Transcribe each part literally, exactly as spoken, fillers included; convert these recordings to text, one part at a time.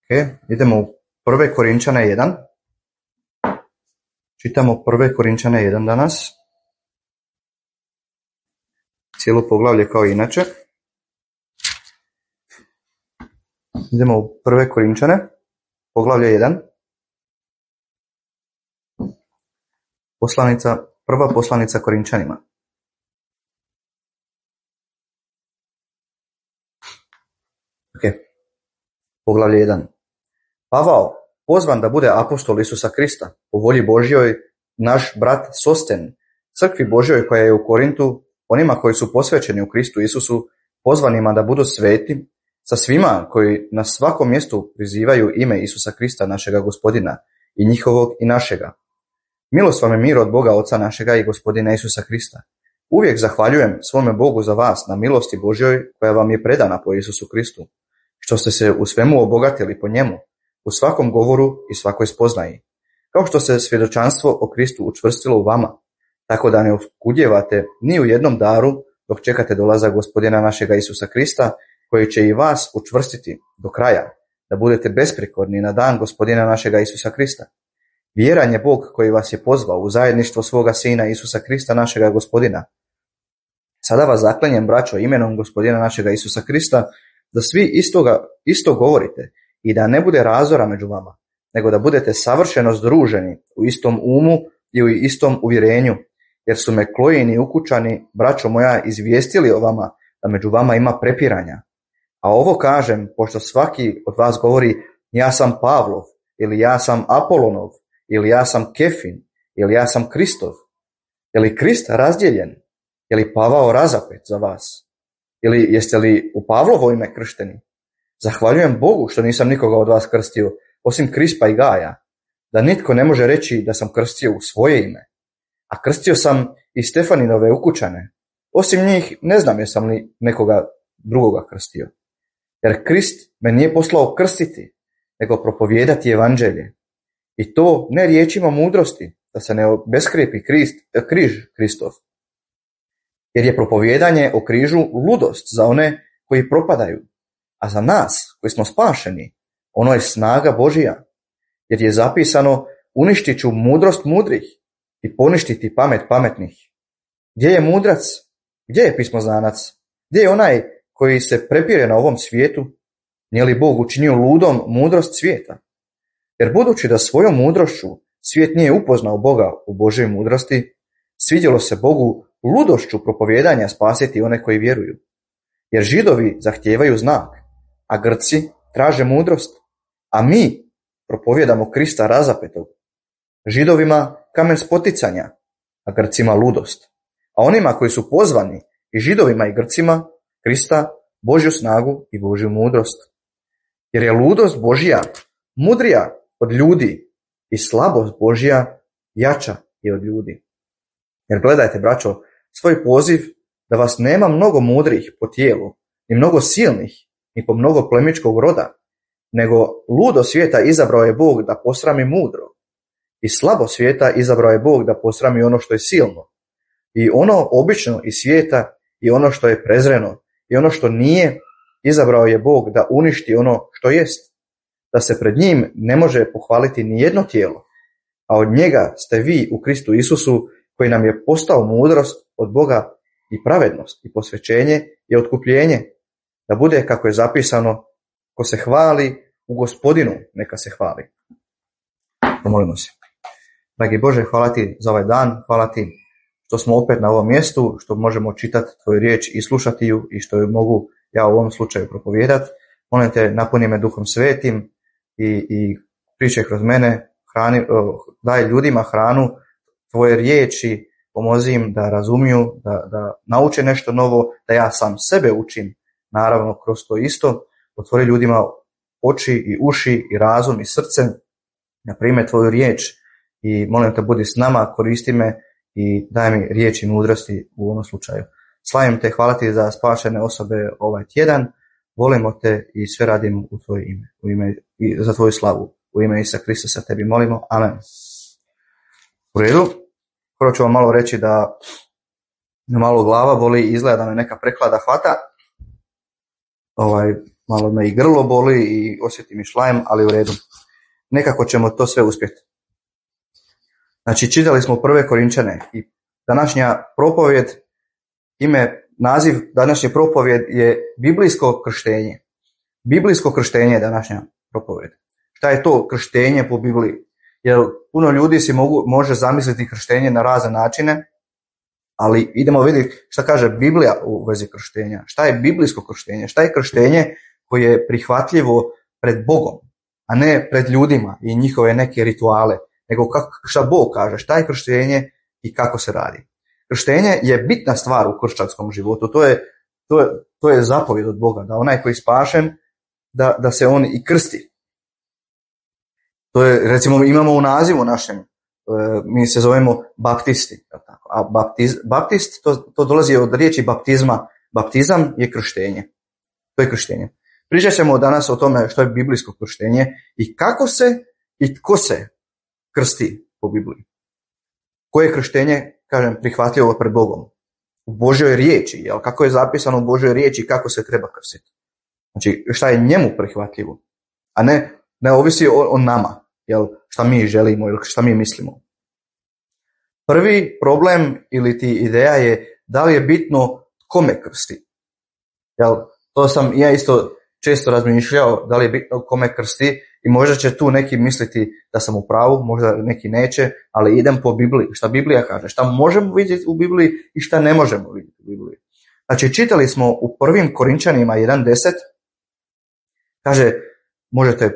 Ok, idemo u prve Korinčane jedan. Čitamo prve Korinčane jedan danas. Cijelo poglavlje kao i inače. Idemo u prve Korinčane, poglavlje jedan. Poslanica, prva poslanica Korinčanima. Ok, poglavlje jedan. Pavao, pozvan da bude apostol Isusa Krista, po volji Božjoj, naš brat Sosten, crkvi Božjoj koja je u Korintu, onima koji su posvećeni u Kristu Isusu, pozvanima da budu sveti, sa svima koji na svakom mjestu prizivaju ime Isusa Krista, našega Gospodina, i njihovog i našega. Milost vam je mir od Boga Oca našega i Gospodina Isusa Krista. Uvijek zahvaljujem svome Bogu za vas na milosti Božjoj koja vam je predana po Isusu Kristu, što ste se u svemu obogatili po njemu, u svakom govoru i svakoj spoznaji, kao što se svjedočanstvo o Kristu učvrstilo u vama, tako da ne oskudjevate ni u jednom daru dok čekate dolazak Gospodina našega Isusa Krista, koji će i vas učvrstiti do kraja, da budete besprijekorni na dan Gospodina našega Isusa Krista. Vjeran je Bog koji vas je pozvao u zajedništvo svoga Sina Isusa Krista, našega Gospodina. Sada vas zaklanjem, braćo, imenom Gospodina našega Isusa Krista, da svi istoga, isto govorite i da ne bude razora među vama, nego da budete savršeno združeni u istom umu i u istom uvjerenju, jer su me Klojini i ukućani, braćo moja, izvijestili o vama da među vama ima prepiranja. A ovo kažem, pošto svaki od vas govori, ja sam Pavlov, ili ja sam Apolonov, ili ja sam Kefin, ili ja sam Kristov. Je li Krist razdjeljen? Je li Pavao razapet za vas? Ili jeste li u Pavlovo ime kršteni? Zahvaljujem Bogu što nisam nikoga od vas krstio, osim Krispa i Gaja, da nitko ne može reći da sam krstio u svoje ime. A krstio sam i Stefaninove ukućane. Osim njih ne znam jesam li nekoga drugoga krstio. Jer Krist me nije poslao krstiti, nego propovijedati evanđelje. I to ne riječima mudrosti, da se ne obeskrijepi krist, križ Kristov. Jer je propovijedanje o križu ludost za one koji propadaju, a za nas koji smo spašeni, ono je snaga Božija. Jer je zapisano, uništit ću mudrost mudrih i poništiti pamet pametnih. Gdje je mudrac? Gdje je pismoznanac? Gdje je onaj koji se prepire na ovom svijetu? Nije li Bog učinio ludom mudrost svijeta? Jer budući da svojom mudrošću svijet nije upoznao Boga u Božoj mudrosti, svidjelo se Bogu ludošću propovijedanja spasiti one koji vjeruju. Jer Židovi zahtijevaju znak, a Grci traže mudrost, a mi propovijedamo Krista razapetog. Židovima kamen spoticanja, a Grcima ludost. A onima koji su pozvani, i Židovima i Grcima, Krista, Božju snagu i Božju mudrost. Jer je ludost Božja mudrija od ljudi i slabost Božja jača i od ljudi. Jer gledajte, braćo, svoj poziv da vas nema mnogo mudrih po tijelu, ni mnogo silnih, ni po mnogo plemičkog roda, nego ludo svijeta izabrao je Bog da posrami mudro, i slabo svijeta izabrao je Bog da posrami ono što je silno, i ono obično iz svijeta, i ono što je prezreno, i ono što nije, izabrao je Bog da uništi ono što jest, da se pred njim ne može pohvaliti ni jedno tijelo, a od njega ste vi u Kristu Isusu, koji nam je postao mudrost od Boga i pravednost i posvećenje i otkupljenje, da bude kako je zapisano, ko se hvali u Gospodinu, neka se hvali. Pomolimo se. Dragi Bože, hvala ti za ovaj dan, hvala ti što smo opet na ovom mjestu, što možemo čitati tvoju riječ i slušati ju i što ju mogu ja u ovom slučaju propovijedati. Molim te, napuni me Duhom Svetim i, i pričaj kroz mene, hrani, daj ljudima hranu tvoje riječi, pomozi im da razumiju, da, da nauče nešto novo, da ja sam sebe učim, naravno kroz to isto. Otvori ljudima oči i uši i razum i srce, da prime tvoju riječ i molim te budi s nama, koristi me i daj mi riječ i mudrosti u ovom slučaju. Slavim te, hvala ti za spašene osobe ovaj tjedan, volimo te i sve radim u tvoje ime, u ime i za tvoju slavu. U ime Isusa Krista sa tebi molimo. Amen. U redu. Prvo ću vam malo reći da malo glava boli, izgleda da me neka preklada hvata. Ovaj, malo me i grlo boli i osjetim i šlajem, ali u redu. Nekako ćemo to sve uspjeti. Znači, čitali smo prve Korinčane i današnja propovjed, ime, naziv današnje propovjed je biblijsko krštenje. Biblijsko krštenje je današnja propovjed. Šta je to krštenje po Bibliji? Jer puno ljudi si mogu, može zamisliti krštenje na razne načine, ali idemo vidjeti šta kaže Biblija u vezi krštenja. Šta je biblijsko krštenje? Šta je krštenje koje je prihvatljivo pred Bogom, a ne pred ljudima i njihove neke rituale, nego kako, šta Bog kaže, šta je krštenje i kako se radi. Krštenje je bitna stvar u kršćanskom životu, to je, to je, to je zapovjed od Boga, da onaj koji je spašen, da, da se on i krsti. To je, recimo, imamo u nazivu našem, mi se zovemo baptisti, a baptiz, baptist, to, to dolazi od riječi baptizma, baptizam je krštenje, to je krštenje. Pričat ćemo danas o tome što je biblijsko krštenje i kako se i tko se krsti po Bibliji. Koje je krštenje, kažem, prihvatljivo pred Bogom? U Božjoj riječi, jel? Kako je zapisano u Božjoj riječi kako se treba krstiti. Znači, šta je njemu prihvatljivo, a ne, ne ovisi o, o nama, jel? Šta mi želimo ili šta mi mislimo. Prvi problem ili ti ideja je da li je bitno kome krsti. Jel? To sam ja isto često razmišljao, da li je bitno kome krsti i možda će tu neki misliti da sam u pravu, možda neki neće, ali idem po Bibliji. Šta Biblija kaže, šta možemo vidjeti u Bibliji i šta ne možemo vidjeti u Bibliji. Znači, čitali smo u prvim Korinčanima jedan deset, kaže, možete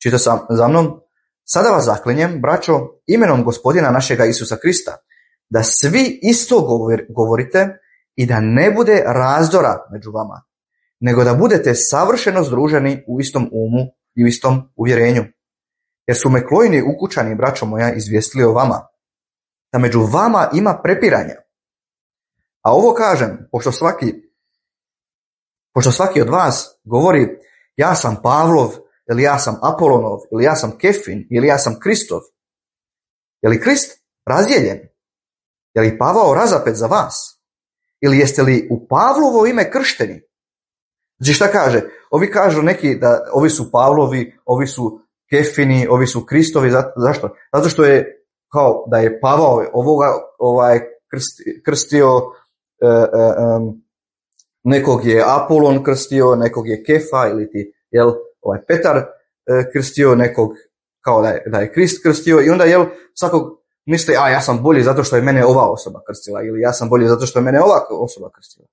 čitati za mnom, sada vas zaklinjem, braćo, imenom Gospodina našega Isusa Krista, da svi isto govorite i da ne bude razdora među vama, nego da budete savršeno združeni u istom umu i u istom uvjerenju. Jer su me Klojini ukućani, braćo moja, izvijestili o vama, da među vama ima prepiranja. A ovo kažem, pošto svaki, pošto svaki od vas govori, ja sam Pavlov, ili ja sam Apolonov, ili ja sam Kefin, ili ja sam Kristov. Je li Krist razdijeljen? Je li Pavao razapet za vas? Ili jeste li u Pavlovo ime kršteni? Znači šta kaže? Ovi kažu neki da ovi su Pavlovi, ovi su Kefini, ovi su Kristovi. Zašto? Zato što je kao da je Pavao ovoga ovaj, krsti, krstio, e, e, nekog je Apolon krstio, nekog je Kefa ili ti, jel, ovaj Petar e, krstio, nekog kao da je, da je Krist krstio i onda jel svakog misli, a ja sam bolji zato što je mene ova osoba krstila ili ja sam bolji zato što je mene ova osoba krstila.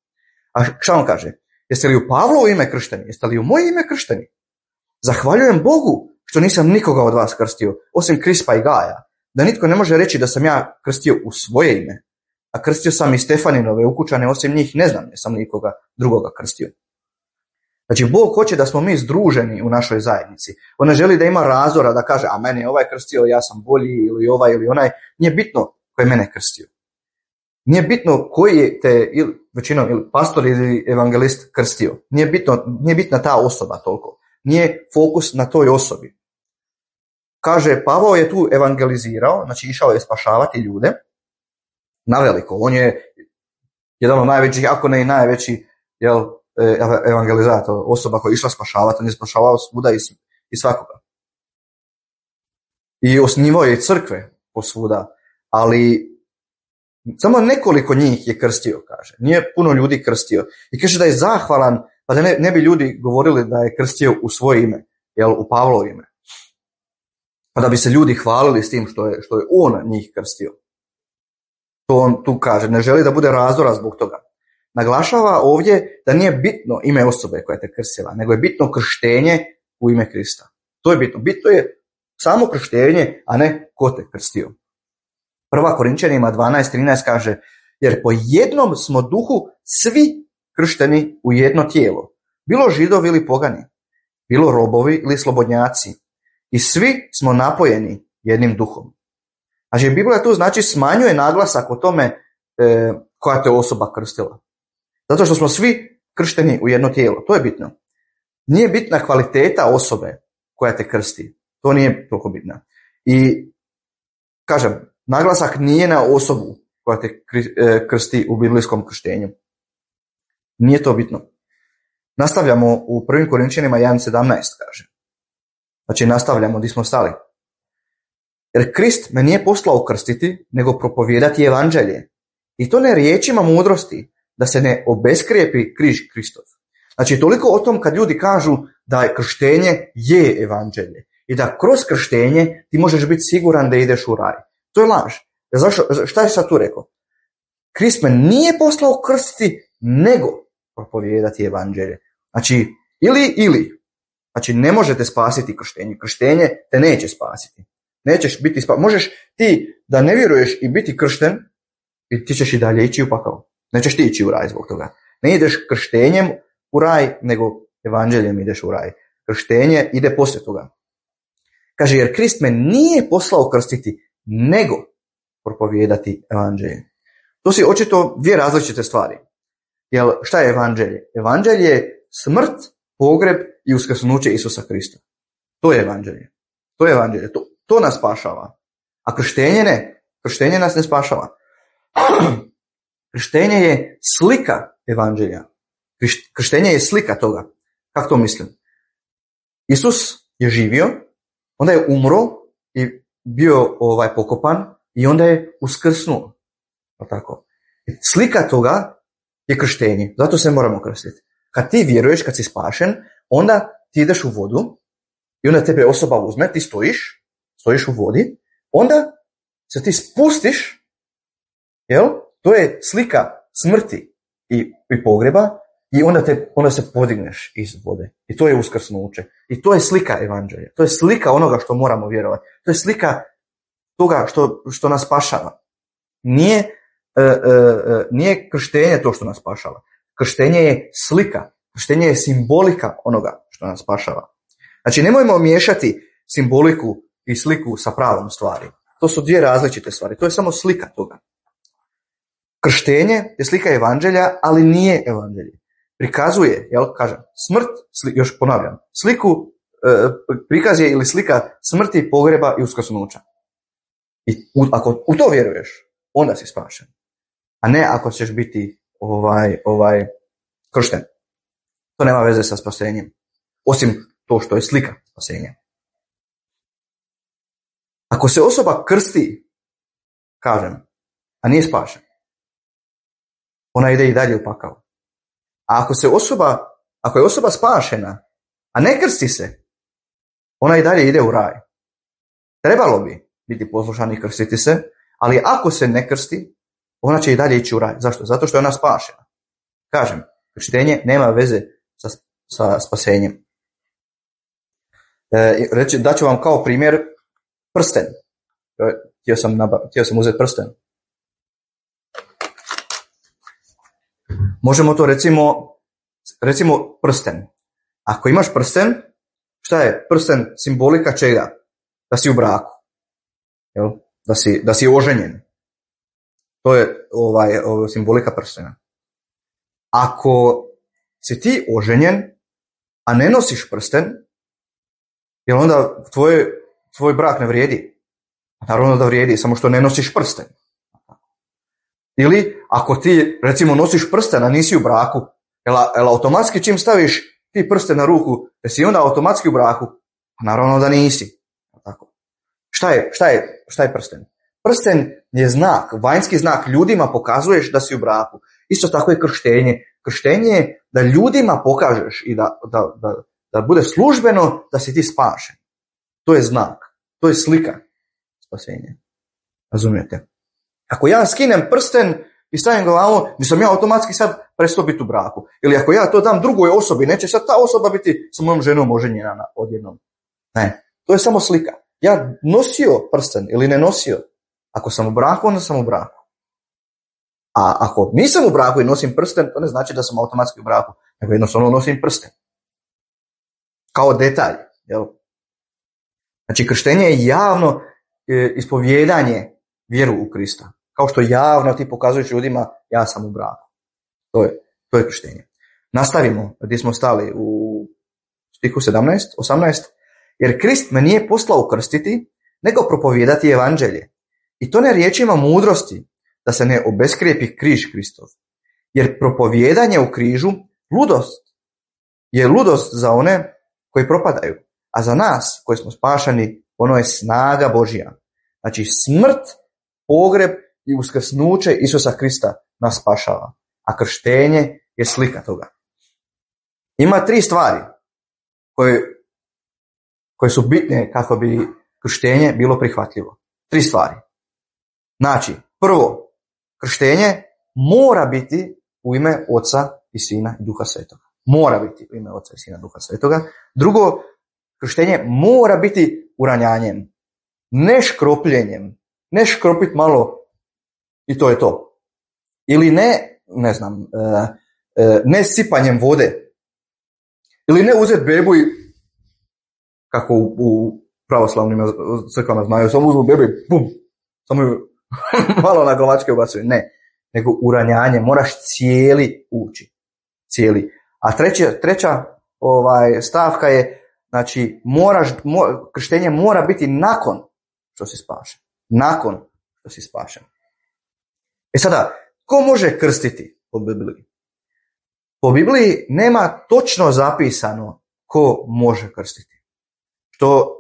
A šta on kaže? Jeste li u Pavlovo ime kršteni? Jeste li u moje ime kršteni? Zahvaljujem Bogu što nisam nikoga od vas krstio, osim Krispa i Gaja, da nitko ne može reći da sam ja krstio u svoje ime, a krstio sam i Stefaninove ukućane, osim njih ne znam, jesam nikoga drugoga krstio. Znači, Bog hoće da smo mi združeni u našoj zajednici. On ne želi da ima razdora, da kaže, a mene je ovaj krstio, ja sam bolji, ili ovaj, ili onaj. Nije bitno ko je mene krstio. Nije bitno koji je te, ili, većinom, ili pastor ili evangelist krstio. Nije, bitno, nije bitna ta osoba toliko. Nije fokus na toj osobi. Kaže, Pavao je tu evangelizirao, znači išao je spašavati ljude na veliko. On je jedan od najvećih, ako ne i najveći, jel, evangelizator, osoba koja je išla spašavati, on je spašavao svuda i, i svakoga. I osnivao je crkve posvuda, ali samo nekoliko njih je krstio, kaže. Nije puno ljudi krstio. I kaže da je zahvalan, pa da ne, ne bi ljudi govorili da je krstio u svoje ime, jel, u Pavlovo ime. Pa da bi se ljudi hvalili s tim što je, što je on njih krstio. To on tu kaže, ne želi da bude razdora zbog toga. Naglašava ovdje da nije bitno ime osobe koja te krstila, nego je bitno krštenje u ime Krista. To je bitno. Bitno je samo krštenje, a ne ko te krstio. Prva Korinčanima dvanaest trinaest kaže, jer po jednom smo duhu svi kršteni u jedno tijelo. Bilo Židovi ili pogani, bilo robovi ili slobodnjaci. I svi smo napojeni jednim duhom. Znači, Biblija tu znači smanjuje naglasak o tome e, koja te osoba krstila. Zato što smo svi kršteni u jedno tijelo. To je bitno. Nije bitna kvaliteta osobe koja te krsti. To nije toliko bitno. I, kažem, naglasak nije na osobu koja te krsti u biblijskom krštenju. Nije to bitno. Nastavljamo u prvim Korinčanima jedan sedamnaest, kaže. Znači, nastavljamo gdje smo stali. Jer Krist me nije poslao krstiti, nego propovijedati evanđelje. I to ne riječima mudrosti, da se ne obeskrijepi križ Kristov. Znači, toliko o tom kad ljudi kažu da je krštenje je evanđelje i da kroz krštenje ti možeš biti siguran da ideš u raj. To je laž. Zašto? Šta je sad tu rekao? Krist me nije poslao krstiti, nego propovijedati evanđelje. Znači, ili, ili. Znači, ne možete spasiti krštenje. Krštenje te neće spasiti. Nećeš biti spasiti. Možeš ti da ne vjeruješ i biti kršten i ti ćeš i dalje ići u pakao. Nećeš ti ići u raj zbog toga. Ne ideš krštenjem u raj, nego evanđeljem ideš u raj. Krštenje ide poslije toga. Kaže, jer Krist me nije poslao krstiti, nego propovijedati evanđelje. To su očito dvije različite stvari. Jer šta je evanđelje? Evanđelje je smrt, pogreb i uskrsnuće Isusa Krista. To je evanđelje. To je evanđelje. To, to nas spašava. A krštenje ne. Krštenje nas ne spašava. Krštenje je slika evanđelja. Krštenje je slika toga. Kako to mislim? Isus je živio, onda je umro i bio ovaj pokopan i onda je uskrsnuo. Tako. Slika toga je krštenje. Zato se moramo krstiti. Kad ti vjeruješ, kad si spašen, onda ti ideš u vodu i onda tebe osoba uzme, ti stojiš, stojiš u vodi, onda se ti spustiš, jel? To je slika smrti i, i pogreba i onda, te, onda se podigneš iz vode. I to je uskrsnuće. I to je slika evanđelja. To je slika onoga što moramo vjerovati. To je slika toga što, što nas spašava. Nije, e, e, nije krštenje to što nas spašava. Krštenje je slika. Krštenje je simbolika onoga što nas spašava. Znači, nemojmo miješati simboliku i sliku sa pravom stvari. To su dvije različite stvari. To je samo slika toga. Krštenje je slika evanđelja, ali nije evanđelje. Prikazuje, jel, kažem, smrt, sli, još ponavljam, sliku, e, prikaz je ili slika smrti, pogreba i uskrsnuća. I u, ako u to vjeruješ, onda si spašen. A ne ako ćeš biti ovaj, ovaj kršten. To nema veze sa spasenjem. Osim to što je slika spasenja. Ako se osoba krsti, kažem, a nije spašen, ona ide i dalje u pakao. A ako se osoba, ako je osoba spašena, a ne krsti se, ona i dalje ide u raj. Trebalo bi biti poslušan i krstiti se, ali ako se ne krsti, ona će i dalje ići u raj. Zašto? Zato što je ona spašena. Kažem, krštenje nema veze sa, sa spasenjem. E, reći, daću vam kao primjer prsten. Htio sam, naba, htio sam uzeti prsten. Možemo to recimo, recimo prsten. Ako imaš prsten, šta je prsten simbolika čega? Da si u braku. Jel? Da si, da si oženjen. To je ovaj, ovaj, simbolika prstena. Ako si ti oženjen, a ne nosiš prsten, jel onda tvoj, tvoj brak ne vrijedi? Naravno da vrijedi, samo što ne nosiš prsten. Ili ako ti recimo nosiš prsten, a nisi u braku, jel, jel automatski čim staviš ti prsten na ruku, jesi onda automatski u braku? Naravno da nisi. Tako. Šta je, šta je, šta je prsten? Prsten je znak, vanjski znak, ljudima pokazuješ da si u braku. Isto tako je krštenje. Krštenje je da ljudima pokažeš i da, da, da, da bude službeno da si ti spašen. To je znak, to je slika spasenja. Razumijete? Ako ja skinem prsten i stavim glavu, nisam ja automatski sad prestao biti u braku. Ili ako ja to dam drugoj osobi, neće sad ta osoba biti sa mojom ženom oženjena odjednom. Ne, to je samo slika. Ja nosio prsten ili ne nosio. Ako sam u braku, onda sam u braku. A ako nisam u braku i nosim prsten, to ne znači da sam automatski u braku, nego jednostavno nosim prsten. Kao detalj. Jel? Znači, krštenje je javno e, ispovjedanje vjeru u Krista. Kao što javno ti pokazuješ ljudima, ja sam u braku. To je, to je krštenje. Nastavimo gdje smo stali u stihu sedamnaest, osamnaest. Jer Krist me nije poslao krstiti, nego propovijedati evanđelje. I to ne riječima mudrosti, da se ne obeskrijepi križ Kristov. Jer propovijedanje u križu ludost je ludost za one koji propadaju, a za nas koji smo spašeni ono je snaga Božja. Znači smrt, pogreb i uskrsnuće Isusa Krista nas spašava, a krštenje je slika toga. Ima tri stvari koje, koje su bitne kako bi krštenje bilo prihvatljivo. Tri stvari. Znači, prvo, krštenje mora biti u ime Oca i Sina i Duha Svetoga. Mora biti u ime Oca i Sina i Duha Svetoga. Drugo, krštenje mora biti uranjanjem, ne škropljenjem, ne škropit malo i to je to. Ili ne, ne znam, ne sipanjem vode. Ili ne uzeti bebu i, kako u, u pravoslavnim crkvama znaju, samo uzmu bebu i bum, samo ju malo na glavačke ubacuju. Ne, nego uranjanje, moraš cijeli ući. Cijeli. A treća, treća ovaj, stavka je, znači, moraš, mo, krštenje mora biti nakon što si spašen. Nakon što si spašen. E sada, ko može krstiti po Bibliji? Po Bibliji nema točno zapisano ko može krstiti. Što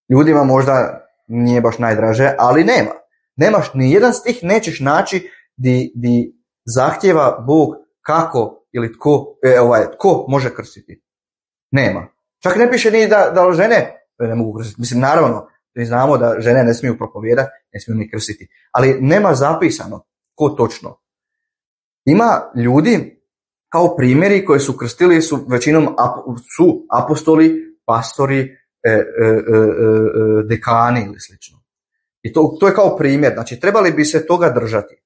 ljudima možda nije baš najdraže, ali nema. Nemaš, ni jedan stih nećeš naći di, di zahtjeva Bog kako ili tko, e, ovaj, tko može krstiti. Nema. Čak ne piše ni da, da žene ne mogu krstiti. Mislim, naravno, mi znamo da žene ne smiju propovijedati, ne smiju ni krstiti. Ali nema zapisano ko točno. Ima ljudi kao primjeri koji su krstili, su većinom ap, su apostoli, pastori, e, e, e, e, dekani ili slično. I to, to je kao primjer. Znači, trebali bi se toga držati.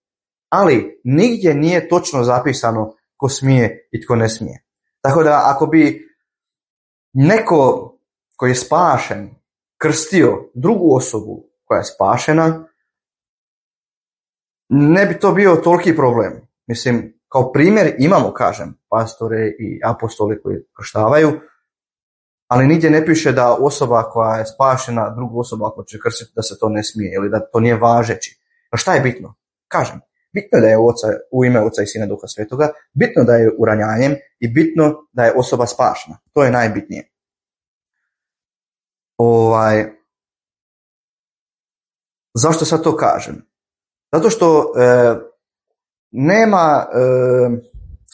Ali nigdje nije točno zapisano ko smije i tko ne smije. Tako da ako bi neko koji je spašen krstio drugu osobu koja je spašena, ne bi to bio toliki problem. Mislim, kao primjer imamo, kažem, pastore i apostoli koji krštavaju, ali nigdje ne piše da osoba koja je spašena, drugu osobu ako će krstiti, da se to ne smije ili da to nije važeći. A šta je bitno? Kažem, bitno je da je oca, u ime Oca i Sina Duha Svetoga, bitno da je uranjanjem i bitno da je osoba spašena. To je najbitnije. Ovaj, zašto sad to kažem? Zato što e, nema, e,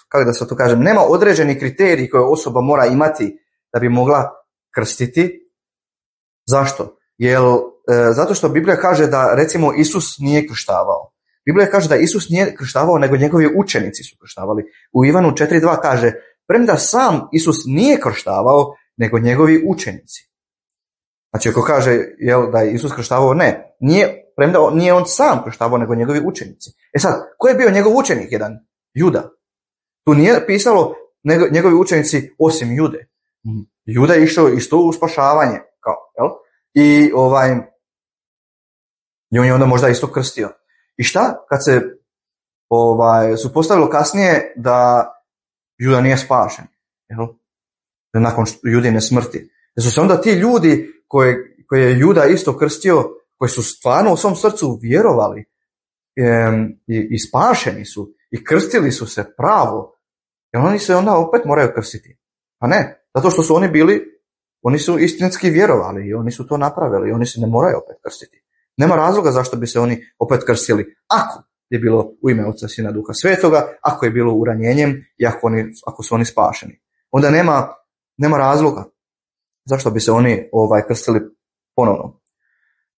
kako da sad to kažem, nema određeni kriterij koje osoba mora imati da bi mogla krstiti. Zašto? Jer, e, zato što Biblija kaže da recimo Isus nije krštavao. Biblija kaže da Isus nije krštavao, nego njegovi učenici su krštavali. U Ivanu četiri dva kaže, premda sam Isus nije krštavao, nego njegovi učenici. Znači, ako kaže jel, da je Isus krštavao, ne, nije, premda nije on sam krštavao, nego njegovi učenici. E sad, ko je bio njegov učenik jedan? Juda. Tu nije pisalo njegovi učenici osim Jude. Juda je išao isto u spašavanje, kao, jel? I ovaj, i on je onda možda isto krstio. I šta kad se ovaj, su postavilo kasnije da Juda nije spašen, jel? Nakon Judine smrti. Da su se onda ti ljudi koje, koje je Juda isto krstio, koji su stvarno u svom srcu vjerovali e, i, i spašeni su i krstili su se pravo, jer oni se onda opet moraju krstiti. Pa ne, zato što su oni bili, oni su istinski vjerovali i oni su to napravili i oni se ne moraju opet krstiti. Nema razloga zašto bi se oni opet krstili ako je bilo u ime Oca, Sina, Duha Svetoga, ako je bilo uranjenjem i ako, oni, ako su oni spašeni. Onda nema, nema razloga zašto bi se oni ovaj, krstili ponovno.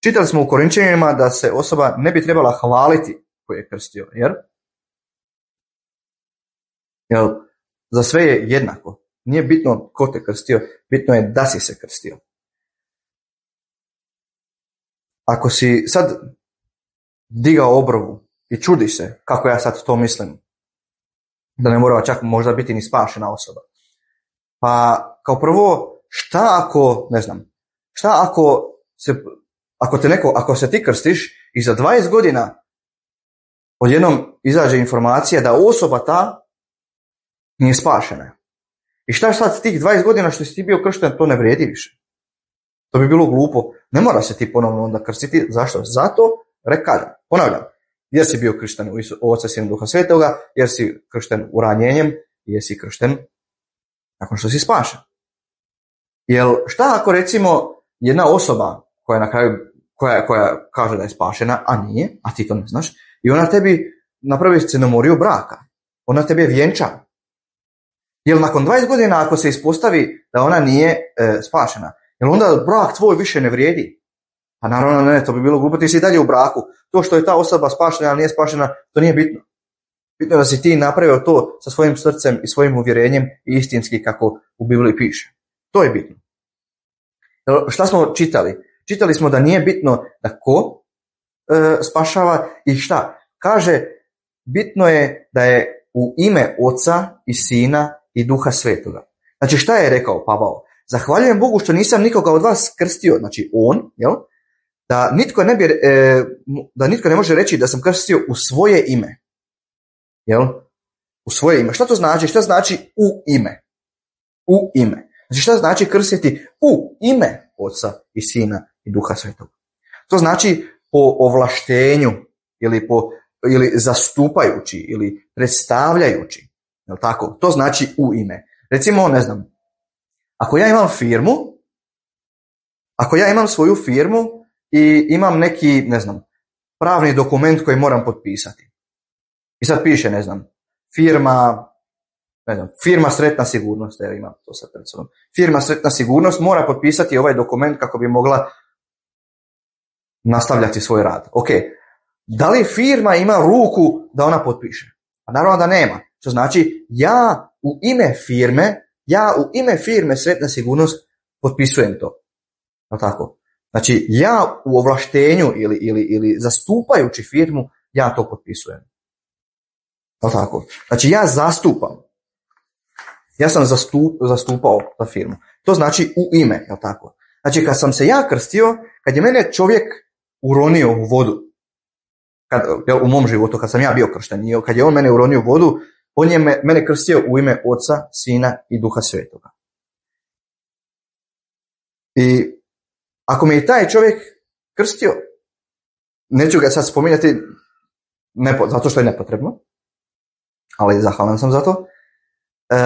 Čitali smo u Korinčanima da se osoba ne bi trebala hvaliti koji je krstio, jer, jer za sve je jednako. Nije bitno ko te krstio, bitno je da si se krstio. Ako si sad digao obrovu i čudiš se kako ja sad to mislim, da ne mora čak možda biti ni spašena osoba. Pa kao prvo, šta ako, ne znam, šta ako se, ako te neko, ako se ti krstiš i za dvadeset godina odjednom izađe informacija da osoba ta nije spašena. I šta sad tih dvadeset godina što si ti bio kršten, to ne vrijedi više. To bi bilo glupo. Ne mora se ti ponovno onda krstiti. Zašto? Zato, rekažem, ponavljam, jer si bio kršten u Oca, Sina, Duha Svetoga, jer si kršten uranjenjem, jer si kršten nakon što si spašen. Jel šta ako recimo jedna osoba koja na kraju, koja, koja kaže da je spašena, a nije, a ti to ne znaš, i ona tebi napravi scenomoriju braka, ona tebe vjenča. Jel nakon dvadeset godina ako se ispostavi da ona nije e, spašena, jel onda brak tvoj više ne vrijedi? Pa naravno ne, to bi bilo glupo, ti si dalje u braku. To što je ta osoba spašena ili nije spašena, to nije bitno. Bitno je da si ti napravio to sa svojim srcem i svojim uvjerenjem i istinski kako u Bibliji piše. To je bitno. Šta smo čitali? Čitali smo da nije bitno da ko e, spašava i šta. Kaže, bitno je da je u ime Oca i Sina i Duha Svetoga. Znači šta je rekao Pavao? Zahvaljujem Bogu što nisam nikoga od vas krstio, znači on, jel? Da nitko ne bi, e, da nitko ne može reći da sam krstio u svoje ime. Jel? U svoje ime. Šta to znači? Šta znači u ime? U ime. Znači šta znači krstiti u ime Oca i Sina i Duha Svetoga? To znači po ovlaštenju ili po ili zastupajući ili predstavljajući. Jel tako? To znači u ime. Recimo, ne znam, ako ja imam firmu, ako ja imam svoju firmu i imam neki, ne znam, pravni dokument koji moram potpisati. I sad piše, ne znam, firma, ne znam, firma Sretna sigurnost, evo imam to sad pred sobom. Firma Sretna sigurnost mora potpisati ovaj dokument kako bi mogla nastavljati svoj rad. Ok, da li firma ima ruku da ona potpiše? Pa naravno da nema. Što znači, ja u ime firme, ja u ime firme Sretna sigurnost potpisujem to. No tako. Znači, ja u ovlaštenju ili, ili, ili zastupajući firmu, ja to potpisujem. No tako. Znači, ja zastupam. Ja sam zastup, zastupao ta firmu. To znači u ime, jel tako? Znači, kad sam se ja krstio, kad je mene čovjek uronio u vodu, kad, jel, u mom životu, kad sam ja bio kršten, kad je on mene uronio u vodu, on je me, mene krstio u ime Oca, Sina i Duha Svetoga. I ako me je taj čovjek krstio, neću ga sad spominjati nepo, zato što je nepotrebno, ali zahvalan sam za to, e,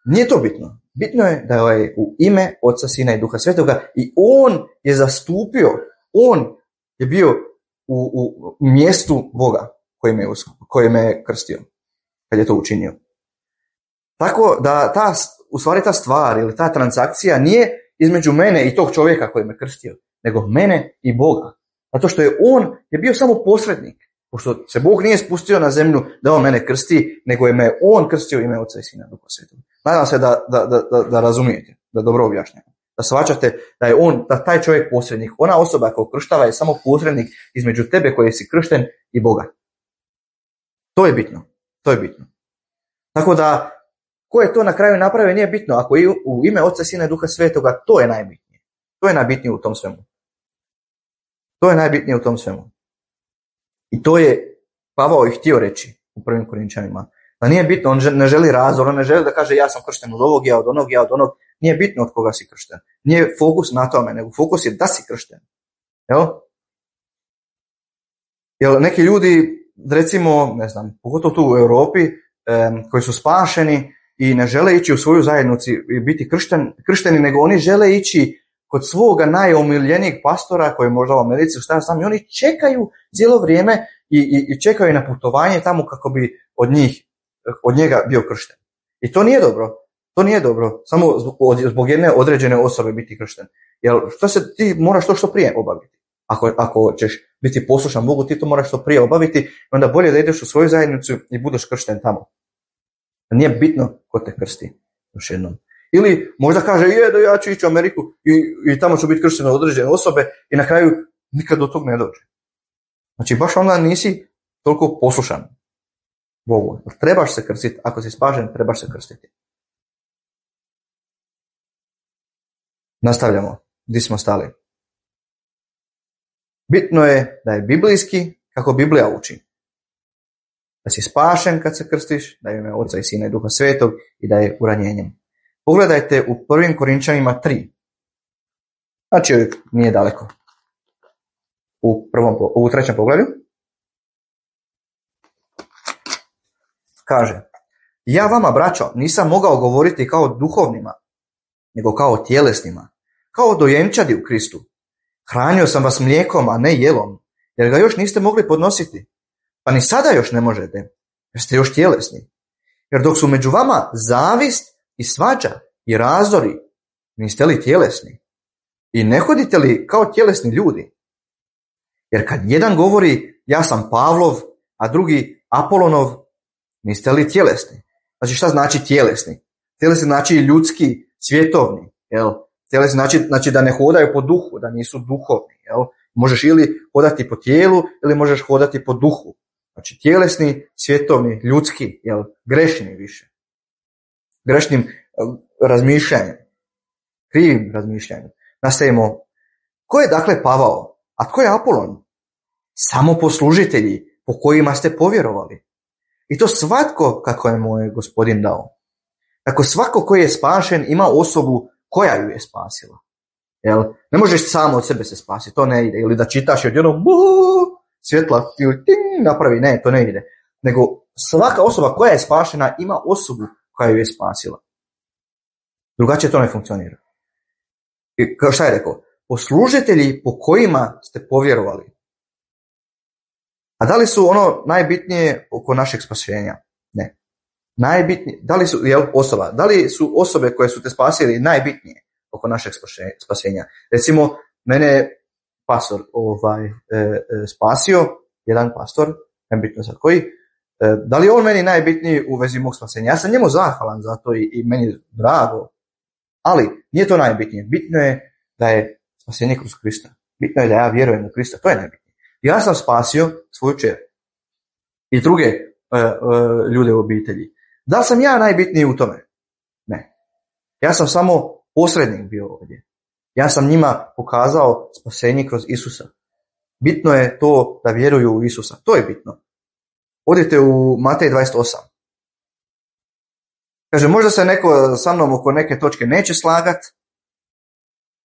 nije to bitno. Bitno je da je u ime Oca, Sina i Duha Svetoga i on je zastupio, on je bio u, u mjestu Boga koji me, koji me krstio, kad je to učinio. Tako da ta, u stvari ta stvar ili ta transakcija nije između mene i tog čovjeka koji me krstio, nego mene i Boga. Zato što je on je bio samo posrednik, pošto se Bog nije spustio na zemlju da on mene krsti, nego je me on krstio ime Oca i Sina Duha Svetoga. Nadam se da, da, da, da razumijete, da dobro objašnjam. Da shvaćate da je on, da taj čovjek posrednik, ona osoba koja krštava je samo posrednik između tebe koji si kršten i Boga. To je bitno. To je bitno. Tako da, ko je to na kraju napravio nije bitno. Ako je u ime Oca, Sina i Duha Svetoga, to je najbitnije. To je najbitnije u tom svemu. To je najbitnije u tom svemu. I to je Pavao i htio reći u prvim Korinčanima. Da nije bitno, on ne želi razdor, on ne želi da kaže ja sam kršten od ovog, ja od onog, ja od onog. Nije bitno od koga si kršten. Nije fokus na tome, nego fokus je da si kršten. Jel? Jel neki ljudi, recimo, ne znam, pogotovo tu u Europi, um, koji su spašeni i ne žele ići u svoju zajednicu i biti kršten, kršteni, nego oni žele ići kod svoga najomiljenijeg pastora koji je možda u Americi, šta ja znam, i oni čekaju cijelo vrijeme i, i, i čekaju na putovanje tamo kako bi od njih, od njega bio kršten. I to nije dobro. To nije dobro. Samo zbog, zbog jedne određene osobe biti kršten. Jer što se ti moraš to što prije obaviti. Ako, ako ćeš biti poslušan Bogu, ti to moraš što prije obaviti, onda bolje da ideš u svoju zajednicu i budeš kršten tamo. Nije bitno ko te krsti. Još jednom. Ili možda kaže, je da ja ću ići u Ameriku i, i tamo ću biti kršten od određene osobe i na kraju nikad do tog ne dođe. Znači baš onda nisi toliko poslušan Bogu. Trebaš se krstiti. Ako si spašen, trebaš se krstiti. Nastavljamo. Gdje smo stali? Bitno je da je biblijski kako Biblija uči. Da si spašen kad se krstiš, da je ime Oca i Sina i Duha Svetog i da je uranjenjem. Pogledajte u prvim Korinčanima tri. Znači nije daleko. U, prvom, u trećem poglavlju. Kaže, Ja vama, braćo, nisam mogao govoriti kao duhovnima, nego kao tjelesnima, kao dojenčadi u Kristu. Hranio sam vas mlijekom, a ne jelom, jer ga još niste mogli podnositi. Pa ni sada još ne možete, jer ste još tjelesni. Jer dok su među vama zavist i svađa i razdori, niste li tjelesni? I ne hodite li kao tjelesni ljudi? Jer kad jedan govori, ja sam Pavlov, a drugi Apolonov, niste li tjelesni? Znači, šta znači tjelesni? Tjelesni znači ljudski, svjetovni. Jel? Tjelesni znači, znači da ne hodaju po duhu, da nisu duhovni. Jel? Možeš ili hodati po tijelu, ili možeš hodati po duhu. Znači, tjelesni, svjetovni, ljudski, jel? Grešni više. Grešnim razmišljanjem. Krivim razmišljanjem. Nastavimo. Ko je dakle Pavao? A tko je Apolon? Samo poslužitelji po kojima ste povjerovali. I to svatko kako je moj Gospodin dao. Tako svako koji je spašen ima osobu koja ju je spasila. Jel? Ne možeš samo od sebe se spasiti, to ne ide. Ili da čitaš i odjednom svjetla ili ting, napravi, ne, to ne ide. Nego svaka osoba koja je spašena ima osobu koja ju je spasila. Drugačije to ne funkcionira. I kao šta je rekao? Poslužitelji po kojima ste povjerovali. A da li su ono najbitnije oko našeg spasenja? Ne. Najbitnije, da li su, jel, osoba, da li su osobe koje su te spasili najbitnije oko našeg spasenja? Recimo, mene je pastor ovaj, e, e, spasio, jedan pastor, nebitno sad koji, e, da li je on meni najbitniji u vezi mog spasenja? Ja sam njemu zahvalan za to i, i meni je drago, ali nije to najbitnije. Bitno je da je spasenje kroz Krista. Bitno je da ja vjerujem u Krista, to je najbitnije. Ja sam spasio svoju kćer i druge uh, uh, ljude u obitelji. Da li sam ja najbitniji u tome? Ne. Ja sam samo posrednik bio ovdje. Ja sam njima pokazao spasenje kroz Isusa. Bitno je to da vjeruju u Isusa. To je bitno. Odite u Matej dvadeset osam. Kaže, možda se neko sa mnom oko neke točke neće slagat,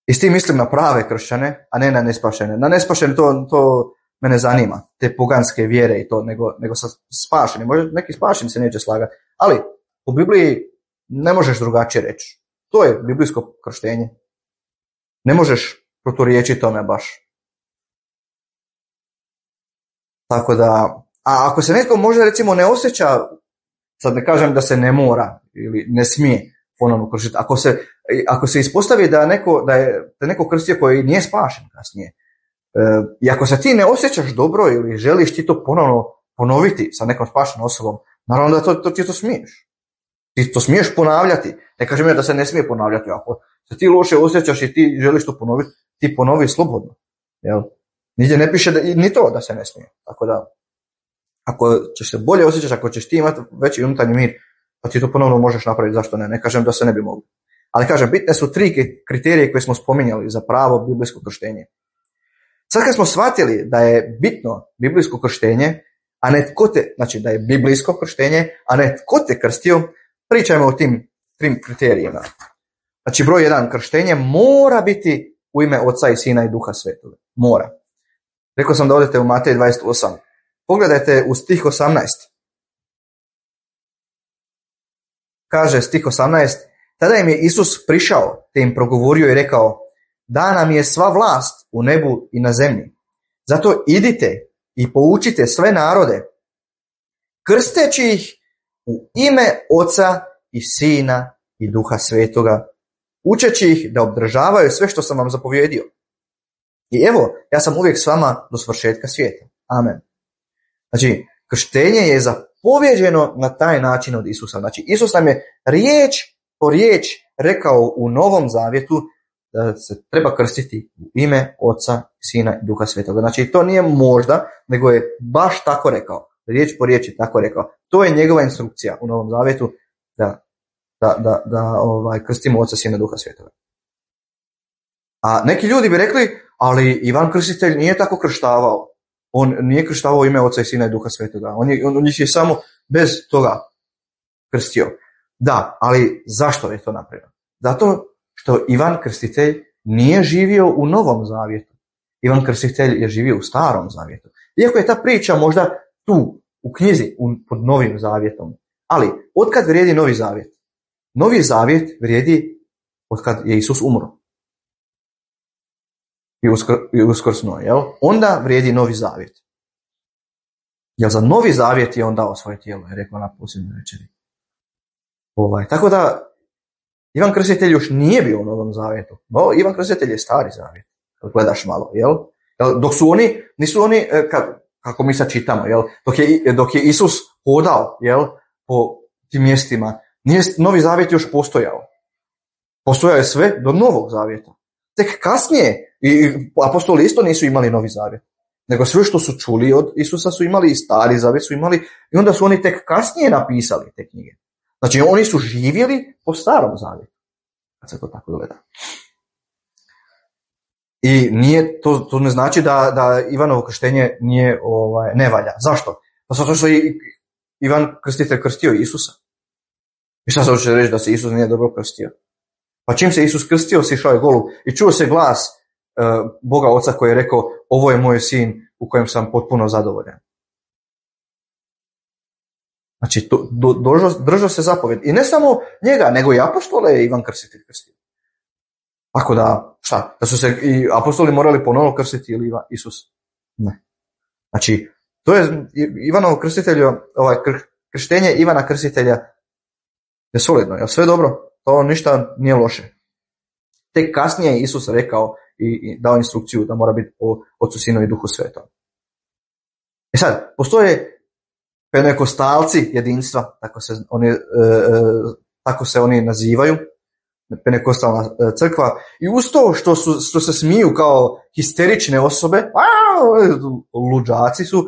i s tim mislim na prave kršćane, a ne na nespašene. Na nespašene to, to me ne zanima, te poganske vjere i to, nego, nego sa spašeni. Možda neki spašeni se neće slagati, ali u Bibliji ne možeš drugačije reći. To je biblijsko krštenje. Ne možeš proturječiti tome baš. Tako da, a ako se netko možda recimo ne osjeća, sad ne kažem da se ne mora ili ne smije ponovno kršiti, ako se, ako se ispostavi da, neko, da je da neko krstio koji nije spašen kasnije, e, i ako se ti ne osjećaš dobro ili želiš ti to ponovno ponoviti sa nekom spašenom osobom, naravno da to, to, ti to smiješ. Ti to smiješ ponavljati. Ne kažem ja da se ne smije ponavljati. Ako se ti loše osjećaš i ti želiš to ponoviti, ti ponovi slobodno. Jel? Nigdje ne piše da, ni to da se ne smije. Tako da, ako ćeš se bolje osjećati, ako ćeš ti imati veći unutarnji mir, pa ti to ponovno možeš napraviti, zašto ne? Ne kažem da se ne bi mogli. Ali kažem, bitne su tri kriterije koje smo spominjali za pravo biblijsko krštenje. Sad kad smo shvatili da je bitno biblijsko krštenje, a ne tko te, znači da je biblijsko krštenje, a ne tko te krstio, pričajmo o tim trim kriterijima. Znači broj jedan, krštenje mora biti u ime Oca i Sina i Duha Svetoga. Mora. Rekao sam da odete u Matej dvadeset osam. Pogledajte u stih osamnaest. Kaže stih osamnaest, tada im je Isus prišao, te im progovorio i rekao, dana mi je sva vlast u nebu i na zemlji. Zato idite i poučite sve narode, krsteći ih u ime Oca i Sina i Duha Svetoga, učeći ih da obdržavaju sve što sam vam zapovjedio. I evo, ja sam uvijek s vama do svršetka svijeta. Amen. Znači, krštenje je zapovjeđeno na taj način od Isusa. Znači, Isus nam je riječ po riječ rekao u Novom Zavjetu da se treba krstiti u ime Oca, Sina i Duha Svetoga. Znači, to nije možda, nego je baš tako rekao. Riječ po riječ je tako rekao. To je njegova instrukcija u Novom Zavjetu da, da, da, da ovaj, krstimo Oca, Sina i Duha Svetoga. A neki ljudi bi rekli, ali Ivan Krstitelj nije tako krštavao. On nije krštavao ime Oca i Sina i Duha Svetoga. On, je, on, on je samo bez toga krstio. Da, ali zašto je to napravio? Zato što Ivan Krstitelj nije živio u Novom Zavjetu. Ivan Krstitelj je živio u Starom Zavjetu. Iako je ta priča možda tu, u knjizi, u, pod Novim Zavjetom. Ali, otkad vrijedi Novi Zavjet? Novi Zavjet vrijedi otkad je Isus umro. I, uskr, i uskrsnuo, jel? Onda vrijedi Novi Zavjet. Jer za Novi Zavjet je on dao svoje tijelo, je rekao na posljednjoj večeri. Ovaj, tako da, Ivan Krstitelj još nije bio u Novom Zavjetu. No, Ivan Krstitelj je Stari Zavjet. Gledaš malo, jel? Dok su oni, nisu oni, kako mi sad čitamo, jel? Dok je, dok je Isus hodao, jel? Po tim mjestima, nije Novi Zavjet još postojao. Postojao je sve do Novog Zavjeta. Tek kasnije, i apostoli isto nisu imali Novi Zavjet, nego sve što su čuli od Isusa su imali i Stari Zavjet su imali, i onda su oni tek kasnije napisali te knjige. Znači, oni su živjeli po Starom Zavjetu, kad se to tako gleda. I nije, to, to ne znači da, da Ivanovo krštenje nije, ovaj, ne valja. Zašto? Pa zato što je Ivan Krstitelj krstio Isusa. I šta se hoće reći da se Isus nije dobro krstio? Pa čim se Isus krstio, sišao je golub i čuo se glas uh, Boga Oca koji je rekao, ovo je moj sin u kojem sam potpuno zadovoljan. Znači, to, do, držao, držao se zapovjed. I ne samo njega, nego i apostole je Ivan Krstitelj krstio. Tako da, šta, da su se i apostoli morali ponovno krstiti ili Isus? Ne. Znači, to je Ivanovo krstitelju, ovaj krštenje Ivana Krstitelja je solidno, je sve dobro, to ništa nije loše. Tek kasnije je Isus rekao i, i dao instrukciju da mora biti o Otcu, Sinu i Duhu Svetom. E sad, postoje pentekostalci jedinstva, tako se oni, e, tako se oni nazivaju, pentekostalna crkva, i uz to što, su, što se smiju kao histerične osobe, a, luđaci su,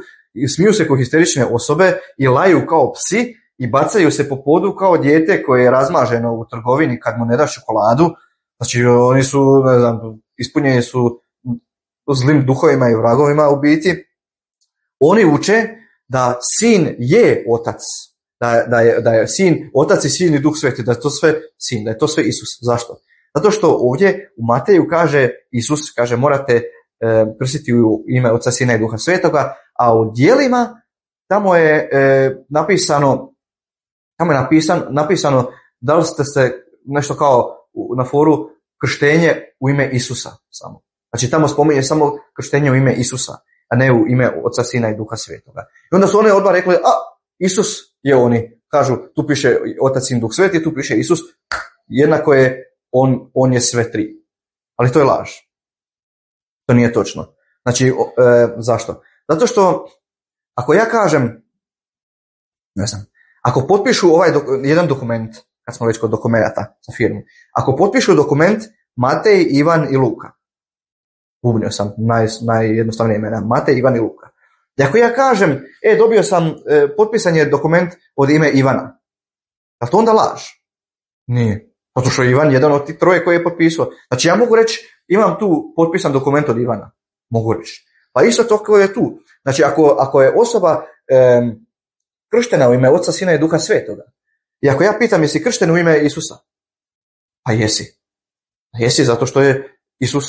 smiju se kao histerične osobe i laju kao psi i bacaju se po podu kao dijete koje je razmaženo u trgovini kad mu ne daš čokoladu. Znači, oni su, ne znam, ispunjeni su zlim duhovima i vragovima u biti. Oni uče da sin je otac, da, da, je, da je sin otac i sin i Duh Sveti, da je to sve sin, da je to sve Isus. Zašto? Zato što ovdje u Mateju kaže, Isus kaže, morate e, krstiti u ime Oca, Sina i Duha Svetoga, a u djelima tamo je e, napisano, tamo je napisan, napisano da li ste se nešto kao na foru krštenje u ime Isusa samo. Znači tamo spominje samo krštenje u ime Isusa, a ne u ime Oca, Sina i Duha Svetoga. I onda su oni odmah rekli, a Isus je oni. Kažu, tu piše Otac, Sin, Duh Sveti, tu piše Isus, jednako je on, on je sve tri. Ali to je laž. To nije točno. Znači, e, zašto? Zato što ako ja kažem, ne znam, ako potpišu ovaj do, jedan dokument, kad smo već kod dokumenata za firmu, ako potpišu dokument Matej, Ivan i Luka, bubnio sam naj, najjednostavnije imena, Matej, Ivan i Luka. I ako ja kažem, e, dobio sam, e, potpisan je dokument od ime Ivana, je li to onda laž? Nije. Zato što je Ivan jedan od tih troje koji je potpisao. Znači ja mogu reći, imam tu potpisan dokument od Ivana. Mogu reći. Pa isto to koji je tu. Znači ako, ako je osoba e, krštena u ime Oca, Sina i Duha Svetoga, i ako ja pitam jesi kršten u ime Isusa, pa jesi. Jesi zato što je Isus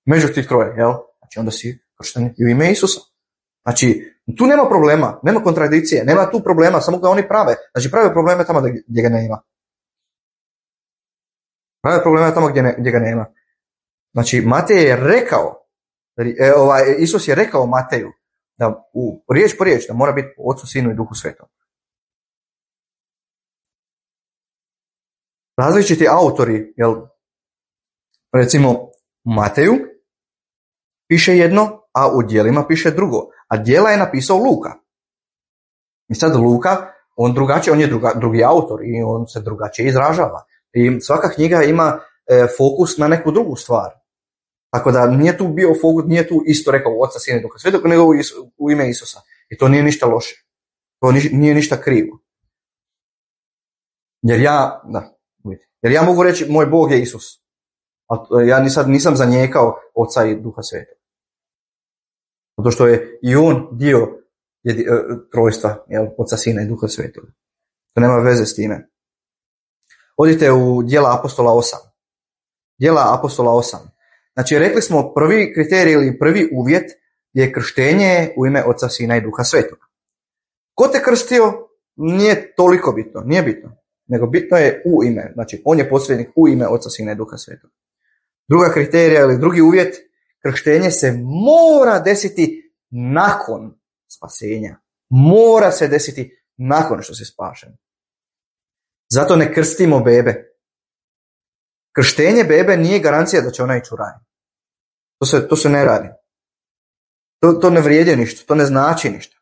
među tih troje, jel? Znači onda si kršten u ime Isusa. Znači, tu nema problema, nema kontradikcije, nema tu problema, samo ga oni prave. Znači, prave probleme tamo gdje ga nema. Prave probleme tamo gdje, ne, gdje ga nema. Znači, Matej je rekao, e, ovaj, Isus je rekao Mateju, da u riječ po riječ, da mora biti Otcu, Sinu i Duhu Svetom. Različiti autori, jel, recimo Mateju piše jedno, a u djelima piše drugo. A djela je napisao Luka. I sad Luka, on drugačije, on je druga, drugi autor i on se drugačije izražava. I svaka knjiga ima e, fokus na neku drugu stvar. Tako da nije tu bio fokus, nije tu isto rekao Oca, Sina i Duha Svetog, nego u, u ime Isusa. I to nije ništa loše. To ni, nije ništa krivo. Jer ja, da, jer ja mogu reći, moj Bog je Isus. A ja nisam, nisam zanijekao Oca i Duha Svetog. Zato što je i on dio jedi, trojstva, jel, Oca, Sina i Duha Svetoga. To nema veze s time. Odite u Djela apostola osam. Djela apostola osam. Znači, rekli smo prvi kriterij ili prvi uvjet je krštenje u ime Oca, Sina i Duha Svetoga. Ko te krstio? nije toliko bitno, nije bitno, nego bitno je u ime, znači on je posrednik u ime Oca, Sina i Duha Svetog. Druga kriterija ili drugi uvjet, krštenje se mora desiti nakon spasenja. Mora se desiti nakon što se spašen. Zato ne krstimo bebe. Krštenje bebe nije garancija da će ona ići u raj. To se, to se ne radi. To, to ne vrijedi ništa, to ne znači ništa.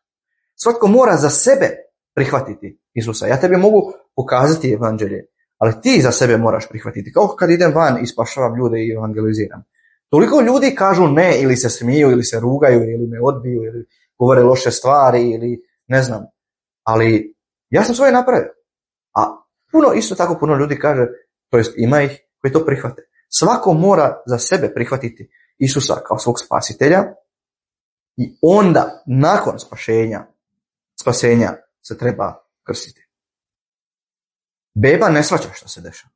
Svatko mora za sebe prihvatiti Isusa. Ja tebi mogu pokazati evanđelje, ali ti za sebe moraš prihvatiti. Kao kad idem van i spašavam ljude i evangeliziram. Toliko ljudi kažu ne, ili se smiju, ili se rugaju, ili me odbiju, ili govore loše stvari, ili ne znam. Ali ja sam svoje napravio. A puno, isto tako puno ljudi kaže, to jest ima ih koji to prihvate. Svako mora za sebe prihvatiti Isusa kao svog spasitelja i onda, nakon spašenja, spasenja, se treba krstiti. Beba ne shvaća što se dešava.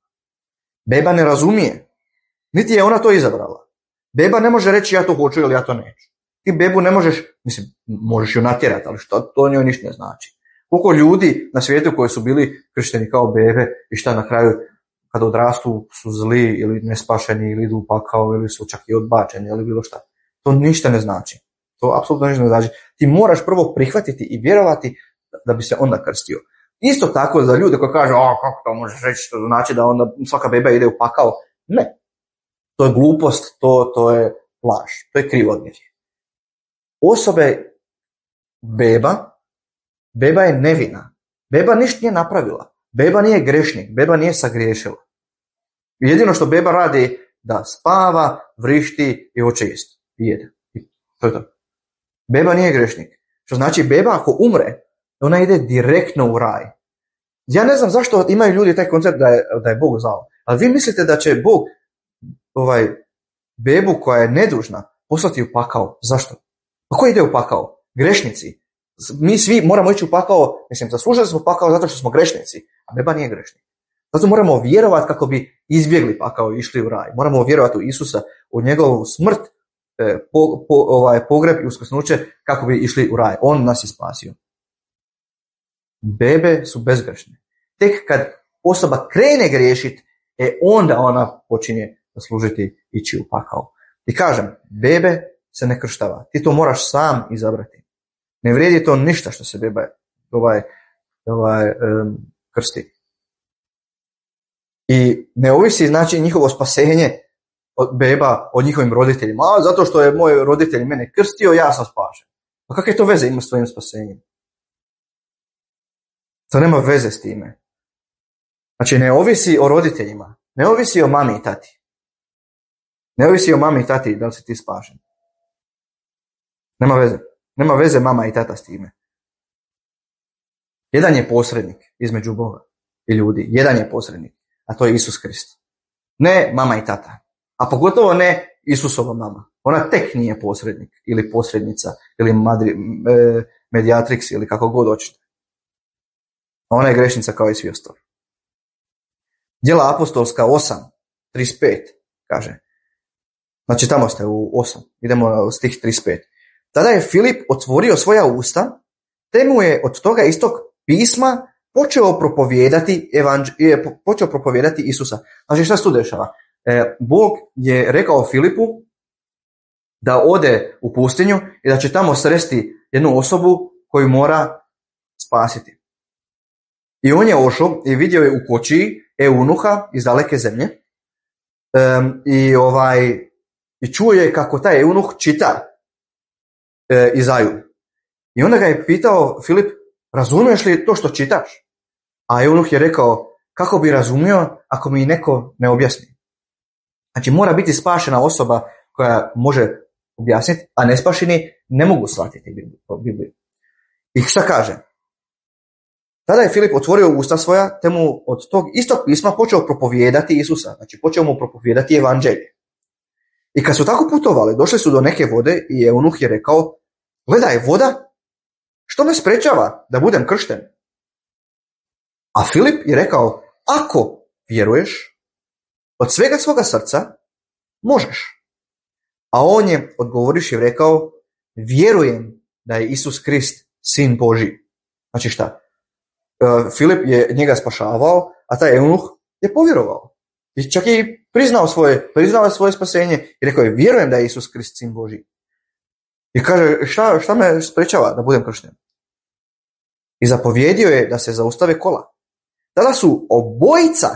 Beba ne razumije. Niti je ona to izabrala. Beba ne može reći ja to hoću ili ja to neću. Ti bebu ne možeš, mislim, možeš ju natjerati, ali što to njoj ništa ne znači. Koliko ljudi na svijetu koji su bili kršteni kao bebe i šta na kraju kada odrastu su zli ili nespašeni ili idu u pakao ili su čak i odbačeni ili bilo šta. To ništa ne znači. To apsolutno ništa ne znači. Ti moraš prvo prihvatiti i vjerovati da bi se onda krstio. Isto tako za ljude koji kažu, a kako to možeš reći, to znači da onda svaka beba ide u pakao. Ne. To je glupost, to, to je laž, to je krivovjerje. Osobe beba, beba je nevina. Beba ništa nije napravila. Beba nije grešnik, beba nije sagriješila. Jedino što beba radi da spava, vrišti i hoće jest. I jede. I to je to. Beba nije grešnik. Što znači beba ako umre, ona ide direktno u raj. Ja ne znam zašto imaju ljudi taj koncept da je, da je Bog zao. Ali vi mislite da će Bog ovaj, bebu koja je nedužna poslati u pakao. Zašto? Pa ko ide u pakao? Grešnici. Mi svi moramo ići u pakao, mislim, zaslužili smo pakao zato što smo grešnici, a beba nije grešnik. Zato moramo vjerovati kako bi izbjegli pakao i išli u raj. Moramo vjerovati u Isusa, u njegovu smrt, po, po, ovaj, pogreb i uskrsnuće kako bi išli u raj. On nas je spasio. Bebe su bezgrešne. Tek kad osoba krene griješiti, e onda ona počinje zaslužiti ići u pakao. I kažem, bebe se ne krštava. Ti to moraš sam izabrati. Ne vrijedi to ništa što se beba ovaj, ovaj, um, krsti. I ne ovisi znači njihovo spasenje od beba od njihovim roditeljima. A zato što je moj roditelj mene krstio, ja sam spašen. Pa kakve to veze ima s tvojim spasenjem? To nema veze s time. Znači ne ovisi o roditeljima. Ne ovisi o mami i tati. Ne ovisi o mami i tati da li si ti spašen. Nema veze. Nema veze mama i tata s time. Jedan je posrednik između Boga i ljudi. Jedan je posrednik, a to je Isus Krist. Ne mama i tata. A pogotovo ne Isusova mama. Ona tek nije posrednik ili posrednica ili madri, e, mediatrix ili kako god hoćete. Ona je grešnica kao i svi ostali. Djela apostolska osam trideset pet kaže. Znači tamo ste u osam. Idemo u stih trideset pet. Tada je Filip otvorio svoja usta, te mu je od toga istog pisma počeo propovijedati, evanđ, počeo propovijedati Isusa. Znači šta se tu dešava? E, Bog je rekao Filipu da ode u pustinju i da će tamo sresti jednu osobu koju mora spasiti. I on je ošao i vidio je u kočiji eunuha iz daleke zemlje e, i, ovaj, i čuo je kako taj eunuh čita E, Izaju. I onda ga je pitao Filip, razumiješ li to što čitaš? A eunuh je rekao, kako bi razumio ako mi neko ne objasni? Znači mora biti spašena osoba koja može objasniti, a nespašeni ne mogu shvatiti Bibliju. I šta kaže? Tada je Filip otvorio usta svoja, te mu od tog istog pisma počeo propovijedati Isusa. Znači počeo mu propovijedati evanđelje. I kad su tako putovali, došli su do neke vode i eunuh je rekao, gledaj, voda, što me sprečava da budem kršten? A Filip je rekao, ako vjeruješ, od svega svoga srca možeš. A on je odgovoriš i rekao, vjerujem da je Isus Krist, sin Božji. Znači šta? Filip je njega spašavao, a taj eunuh je povjerovao. I čak je i priznao svoje, priznao svoje spasenje i rekao je, vjerujem da je Isus Krist sin Božji. I kaže, šta, šta me sprečava da budem kršten? I zapovjedio je da se zaustave kola. Tada su obojica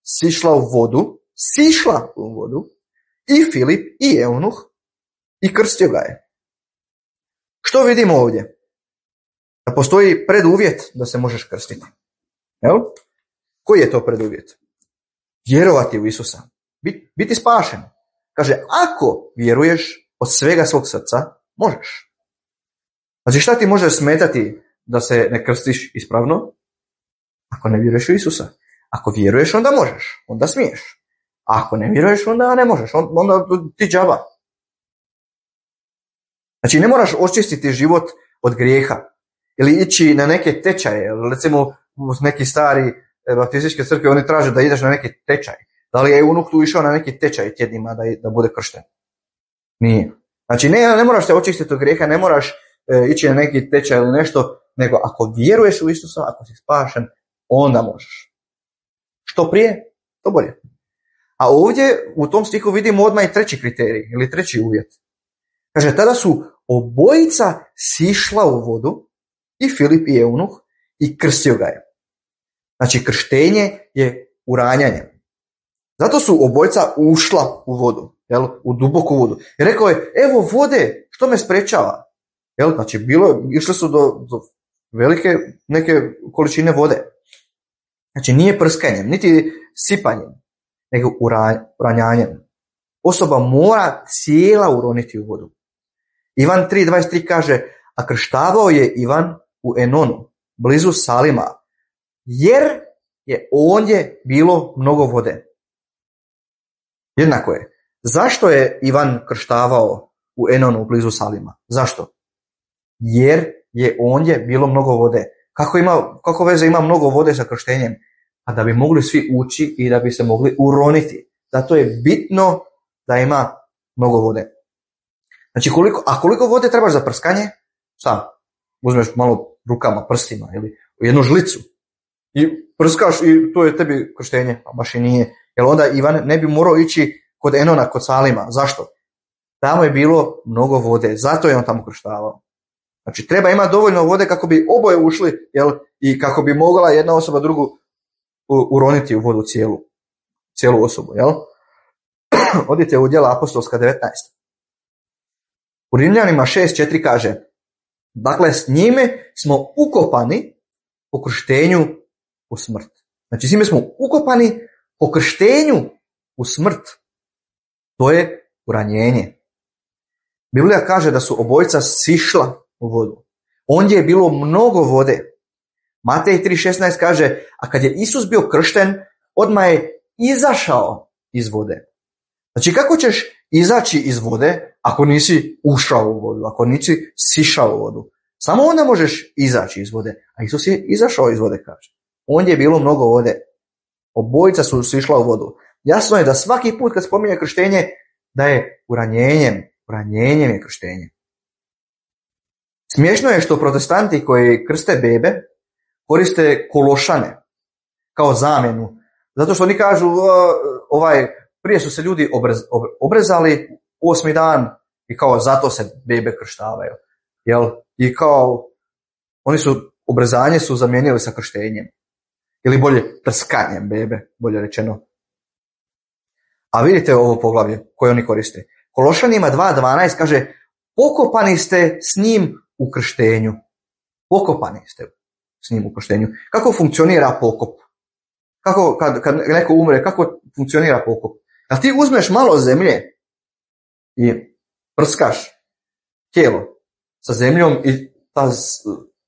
sišla u vodu, sišla u vodu, i Filip i eunuh, i krstio ga je. Što vidimo ovdje? Da postoji preduvjet da se možeš krstiti. Jel? Koji je to preduvjet? Vjerovati u Isusa. Biti, biti spašen. Kaže, ako vjeruješ od svega svog srca, možeš. Znači, šta ti može smetati da se ne krstiš ispravno? Ako ne vjeruješ u Isusa. Ako vjeruješ, onda možeš. Onda smiješ. A ako ne vjeruješ, onda ne možeš. Onda ti džaba. Znači, ne moraš očistiti život od grijeha. Ili ići na neke tečaje. Recimo, neki stari baptističke crkve, oni traže da ideš na neki tečaj. Da li je eunuh tu išao na neki tečaj tjednima da, da bude kršten? Nije. Znači, ne, ne moraš se očistiti od grijeha, ne moraš e, ići na neki tečaj ili nešto, nego ako vjeruješ u Isusa, ako si spašen, onda možeš. Što prije, to bolje. A ovdje u tom stihu vidimo odmah i treći kriterij, ili treći uvjet. Kaže, tada su obojica sišla u vodu, i Filip i eunuh, i krstio ga je. Znači, krštenje je uranjanje. Zato su obojica ušla u vodu, jel, u duboku vodu. I rekao je, evo vode, što me sprečava? Jel, znači, bilo, išli su do, do velike neke količine vode. Znači, nije prskanjem, niti sipanjem, nego uranjanjem. Osoba mora cijela uroniti u vodu. Ivan tri dvadeset tri kaže, a krštavao je Ivan u Enonu, blizu Salima, jer je ondje bilo mnogo vode. Jednako je. Zašto je Ivan krštavao u Enonu, blizu Salima? Zašto? Jer je ondje bilo mnogo vode. Kako, ima, kako veze ima mnogo vode sa krštenjem? A da bi mogli svi ući i da bi se mogli uroniti. Zato je bitno da ima mnogo vode. Znači, koliko, a koliko vode trebaš za prskanje? Sam. Uzmeš malo rukama, prstima ili jednu žlicu i prskaš i to je tebi krštenje, a baš i nije. Jer onda Ivan ne bi morao ići kod Enona, kod Salima. Zašto? Tamo je bilo mnogo vode, zato je on tamo krštavao. Znači, treba imati dovoljno vode kako bi oboje ušli, jel, i kako bi mogla jedna osoba drugu uroniti u vodu cijelu, cijelu osobu. Jel? Odite u djela apostolska devetnaest. U Rimljanima šest četiri kaže, dakle, s njime smo ukopani po krštenju u smrt. Znači, s njime smo ukopani po krštenju u smrt. To je uranjenje. Biblija kaže da su obojica sišla u vodu. Ondje je bilo mnogo vode. Matej tri šesnaest kaže, a kad je Isus bio kršten, odmah je izašao iz vode. Znači, kako ćeš izaći iz vode ako nisi ušao u vodu, ako nisi sišao u vodu? Samo onda možeš izaći iz vode. A Isus je izašao iz vode, kaže. Ondje je bilo mnogo vode. Obojica su sišla u vodu. Jasno je da svaki put kad spominje krštenje, da je uranjenjem. Uranjenjem je krštenje. Smiješno je što protestanti koji krste bebe koriste kološane kao zamjenu. Zato što oni kažu, ovaj, prije su se ljudi obrez, obrezali osmi dan i kao zato se bebe krštavaju. Jel? I kao oni su obrezanje su zamijenili sa krštenjem. Ili bolje prskanjem bebe, bolje rečeno. A vidite ovo poglavlje koje oni koriste. Kološanima dva dvanaest kaže, pokopani ste s njim u krštenju. Pokopani ste s njim u krštenju. Kako funkcionira pokop? Kako, kad, kad neko umre, kako funkcionira pokop? Kad ti uzmeš malo zemlje i prskaš tijelo sa zemljom i ta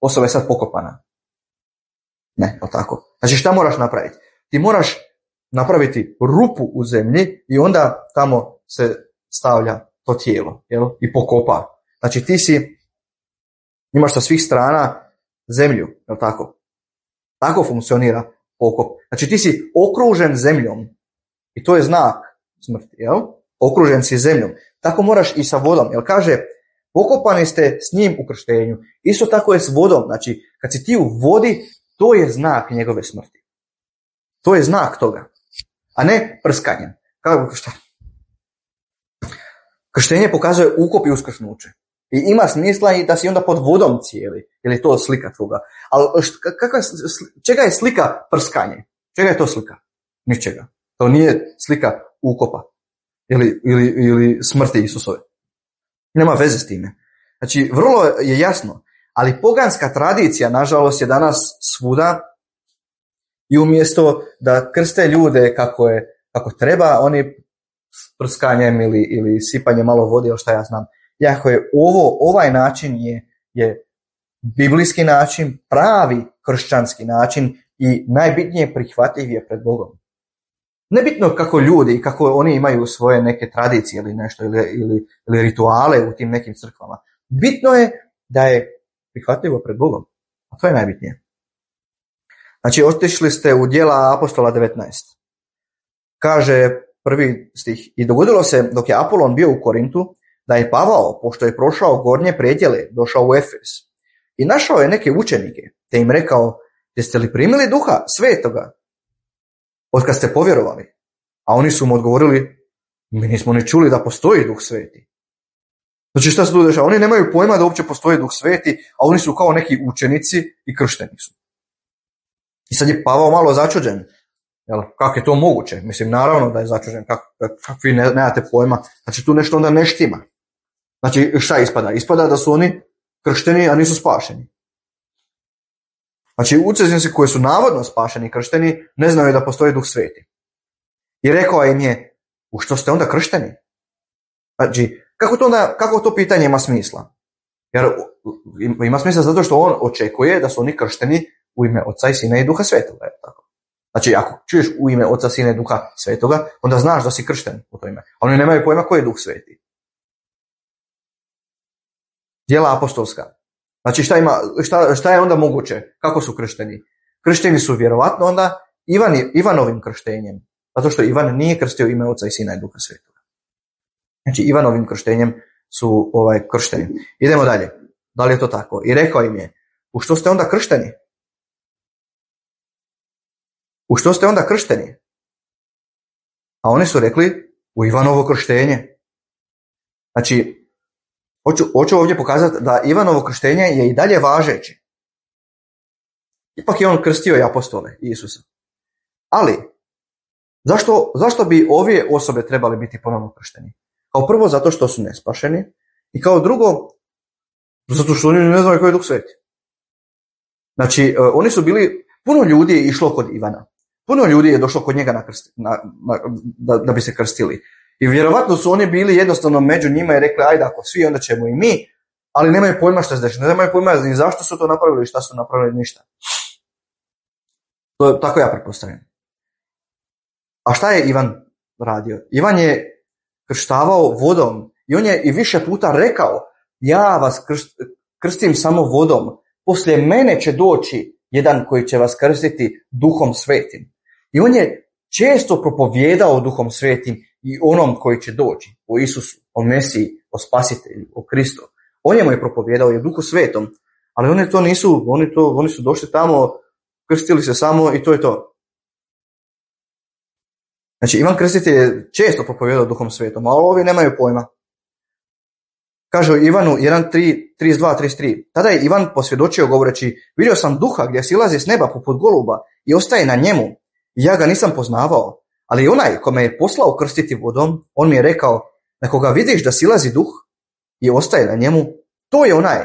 osoba je sad pokopana. Ne, o tako. Znači, šta moraš napraviti? Ti moraš napraviti rupu u zemlji i onda tamo se stavlja to tijelo, jel? I pokopa. Znači, ti si, imaš sa svih strana zemlju, jel tako? Tako funkcionira pokop. Znači, ti si okružen zemljom i to je znak smrti, jel? Okružen si zemljom. Tako moraš i sa vodom, jel kaže, pokopani ste s njim u krštenju. Isto tako je s vodom. Znači, kad si ti u vodi, to je znak njegove smrti. To je znak toga. A ne prskanje. Kako, šta? Krštenje pokazuje ukop i uskrsnuće. I ima smisla i da si onda pod vodom cijeli. Ili je to slika toga. Ali kakva, čega je slika prskanje? Čega je to slika? Ničega. To nije slika ukopa. Ili, ili, ili smrti Isusove. Nema veze s time. Znači, vrlo je jasno. Ali poganska tradicija, nažalost, je danas svuda. I umjesto da krste ljude kako, je, kako treba, oni s prskanjem ili, ili sipanjem malo vode, ili šta ja znam. Jako je ovo, ovaj način je, je biblijski način, pravi kršćanski način i najbitnije prihvatljiv je pred Bogom. Nebitno kako ljudi, kako oni imaju svoje neke tradicije ili nešto, ili, ili, ili rituale u tim nekim crkvama. Bitno je da je prihvatljivo pred Bogom. A to je najbitnije. Znači, otišli ste u Djela apostola devetnaest. Kaže prvi stih. I dogodilo se dok je Apolon bio u Korintu, da je Pavao, pošto je prošao gornje predjele, došao u Efes. I našao je neke učenike, te im rekao, jeste li primili duha svetoga od kad ste povjerovali? A oni su mu odgovorili, mi nismo ni čuli da postoji duh sveti. Znači, šta se tu dešava? Oni nemaju pojma da uopće postoji duh sveti, a oni su kao neki učenici i kršteni su. I sad je Pavao malo začuđen. Jel, kako je to moguće? Mislim, naravno da je začuđen. Kako, kako vi ne, nemate pojma? Znači, tu nešto onda ne štima. Znači, šta ispada? Ispada da su oni kršteni, a nisu spašeni. Znači, učenici koji su navodno spašeni i kršteni ne znaju da postoji duh sveti. I rekao im je, u što ste onda kršteni? Znači, kako to, onda, kako to pitanje ima smisla? Jer ima smisla zato što on očekuje da su oni kršteni u ime Oca i Sina i Duha Svetoga. Tako. Znači, ako čuješ u ime Oca, Sina i Duha Svetoga, onda znaš da si kršten u to ime. A oni nemaju pojma koji je Duh Sveti. Djela apostolska. Znači, šta, ima, šta, šta je onda moguće? Kako su kršteni? Kršteni su vjerovatno onda Ivani, Ivanovim krštenjem. Zato što Ivan nije krstio ime Oca i Sina i Duha Svetoga. Znači, Ivanovim krštenjem su ovaj, kršteni. Idemo dalje. Da li je to tako? I rekao im je, u što ste onda kršteni? U što ste onda kršteni? A oni su rekli, u Ivanovo krštenje. Znači, hoću, hoću ovdje pokazati da Ivanovo krštenje je i dalje važeće. Ipak je on krstio i apostole Isusa. Ali, zašto, zašto bi ove osobe trebali biti ponovno kršteni? Kao prvo, zato što su nespašeni. I kao drugo, zato što oni ne znaju koji je Duh Sveti. Znači, oni su bili, puno ljudi je išlo kod Ivana. Puno ljudi je došlo kod njega na krst, na, na, da, da bi se krstili. I vjerovatno su oni bili jednostavno među njima i rekli, ajde, ako svi, onda ćemo i mi, ali nemaju pojma šta se dešava. Nemaju pojma ni zašto su to napravili i šta su napravili, ništa. To, tako ja pretpostavljam. A šta je Ivan radio? Ivan je krštavao vodom i on je i više puta rekao, ja vas krst, krstim samo vodom, poslije mene će doći jedan koji će vas krstiti Duhom Svetim. I on je često propovijedao Duhom Svetim i onom koji će doći, o Isusu, o Mesiji, o Spasitelju, o Kristu. On je mu je propovijedao i o Duhu Svetom, ali oni to nisu, oni, to, oni su došli tamo, krstili se samo i to je to. Znači, Ivan Krstitelj je često propovijedao Duhom Svetom, ali ovi nemaju pojma. Kaže u Ivanu jedan trideset dva trideset tri. Tada je Ivan posvjedočio govoreći, vidio sam duha gdje silazi s neba poput goluba i ostaje na njemu. I ja ga nisam poznavao, ali onaj ko me je poslao krstiti vodom, on mi je rekao, ako ga vidiš da silazi duh i ostaje na njemu, to je onaj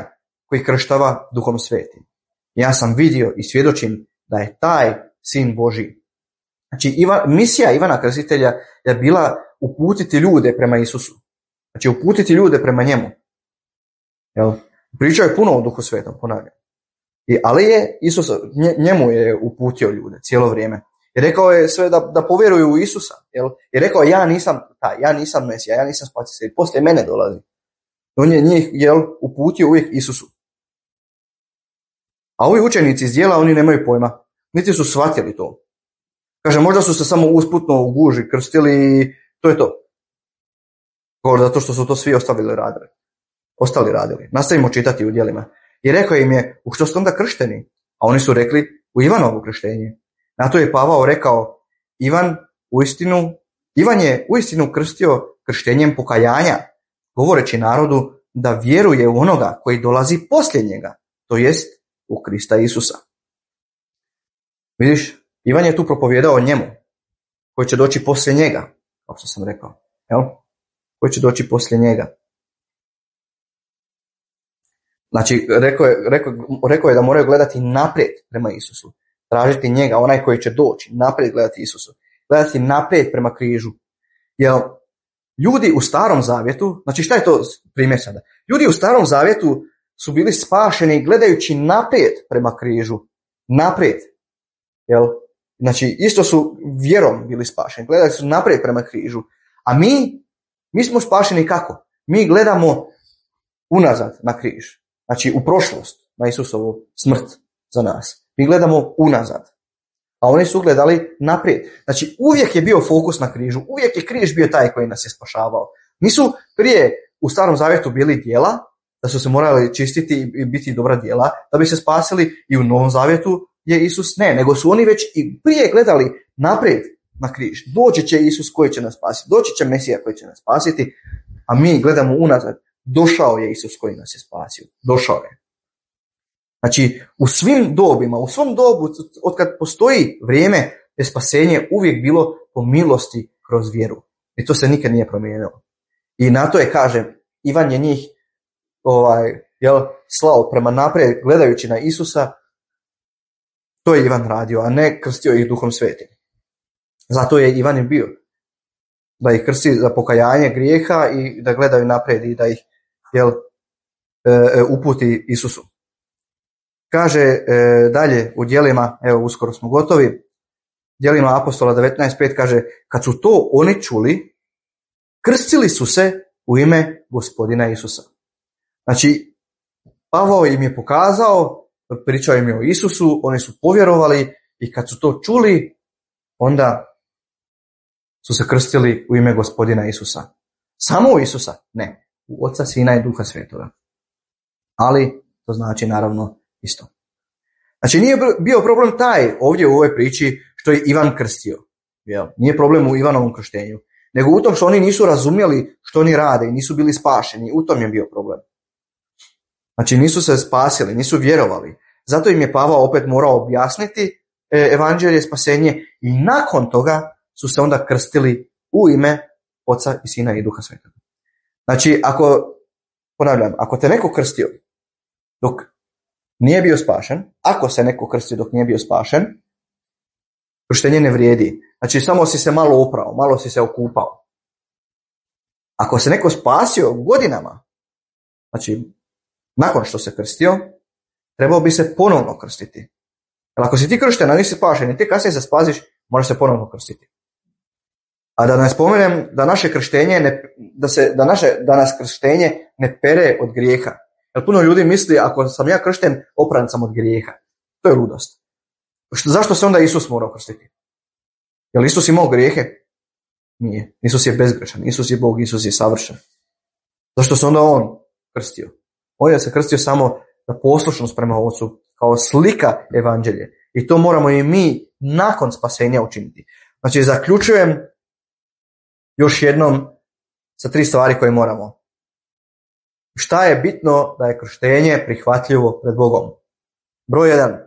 koji krštava Duhom Svetim. Ja sam vidio i svjedočim da je taj Sin Božji. Znači, Ivan, misija Ivana Krstitelja je bila uputiti ljude prema Isusu. Znači, uputiti ljude prema njemu. Jel? Pričao je puno o Duhu Svetom, ponavljam. I, ali je Isus, njemu je uputio ljude cijelo vrijeme. I rekao je sve da, da povjeruju u Isusa. Jel? I rekao, ja nisam taj, ja nisam Mesija, ja nisam spasitelj, poslije mene dolazi. On je njih jel, uputio uvijek Isusu. A ovi učenici iz djela, oni nemaju pojma. Niti su shvatili to. Kaže, možda su se samo usputno u guži krstili i to je to. Govor zato što su to svi ostavili radili. Ostali radili. Nastavimo čitati u djelima. I rekao im je, u što ste onda kršteni? A oni su rekli, u Ivanovo krštenje. Na to je Pavao rekao, Ivan uistinu, Ivan je uistinu krstio krštenjem pokajanja, govoreći narodu da vjeruje u onoga koji dolazi poslije njega, to jest u Krista Isusa. Vidiš, Ivan je tu propovijedao o njemu, koji će doći poslije njega, kao što sam rekao, jel? Koji će doći poslije njega. Znači, rekao je, rekao, rekao je da moraju gledati naprijed prema Isusu, tražiti njega, onaj koji će doći, naprijed gledati Isusu, gledati naprijed prema križu. Jer ljudi u Starom zavjetu, znači šta je to primjer sada? Ljudi u Starom zavjetu su bili spašeni gledajući naprijed prema križu, naprijed. Jel? Znači, isto su vjerom bili spašeni, gledali su naprijed prema križu. A mi, mi smo spašeni kako? Mi gledamo unazad na križ. Znači, u prošlost, na Isusovu smrt za nas. Mi gledamo unazad. A oni su gledali naprijed. Znači, uvijek je bio fokus na križu. Uvijek je križ bio taj koji nas je spašavao. Nisu prije u Starom zavjetu bili djela, da su se morali čistiti i biti dobra djela, da bi se spasili, i u Novom zavjetu je Isus ne, nego su oni već i prije gledali naprijed na križ. Doći će Isus koji će nas spasiti, doći će Mesija koji će nas spasiti, a mi gledamo unazad. Došao je Isus koji nas je spasio. Došao je. Znači, u svim dobima, u svom dobu, od kad postoji vrijeme, je spasenje uvijek bilo po milosti kroz vjeru. I to se nikad nije promijenilo. I na to je, kažem, Ivan je njih ovaj, jel, slao prema naprijed, gledajući na Isusa. To je Ivan radio, a ne krstio ih Duhom Svetim. Zato je Ivan i bio. Da ih krsti za pokajanje grijeha i da gledaju naprijed i da ih jel, e, uputi Isusu. Kaže e, dalje u djelima, evo uskoro smo gotovi, djelima Apostola devetnaest pet kaže, kad su to oni čuli, krstili su se u ime Gospodina Isusa. Znači, Pavao im je pokazao, pričao im je o Isusu, oni su povjerovali i kad su to čuli, onda su se krstili u ime Gospodina Isusa. Samo u Isusa? Ne. U Oca, Sina i Duha Svetoga. Ali to znači naravno isto. Znači nije bio problem taj ovdje u ovoj priči što je Ivan krstio. Jel? Nije problem u Ivanovom krštenju. Nego u tom što oni nisu razumjeli što oni rade i nisu bili spašeni. U tom je bio problem. Znači nisu se spasili, nisu vjerovali. Zato im je Pavao opet morao objasniti evanđelje, spasenje i nakon toga su se onda krstili u ime Oca i Sina i Duha Svetoga. Znači, ako, ponavljam, ako te neko krstio dok nije bio spašen, ako se neko krstio dok nije bio spašen, krštenje ne vrijedi. Znači, samo si se malo oprao, malo si se okupao. Ako se neko spasio godinama, znači, nakon što se krstio, trebao bi se ponovno krstiti. Jer ako si ti kršten, a nisi spašen i ti kasnije se spasiš, moraš se ponovno krstiti. A da ne spomenem da naše krštenje ne, da se da naše da nas krštenje ne pere od grijeha. Jer puno ljudi misli ako sam ja kršten, opran sam od grijeha. To je ludost. Što, zašto se onda Isus morao krstiti? Jel Isus imao grijehe? Nije. Isus je bezgrešan. Isus je Bog, Isus je savršen. Zašto se onda on krstio? On je se krstio samo za poslušnost prema Ocu, kao slika evanđelje. I to moramo i mi nakon spasenja učiniti. Znači, zaključujem još jednom sa tri stvari koje moramo. Šta je bitno da je krštenje prihvatljivo pred Bogom? Broj jedan,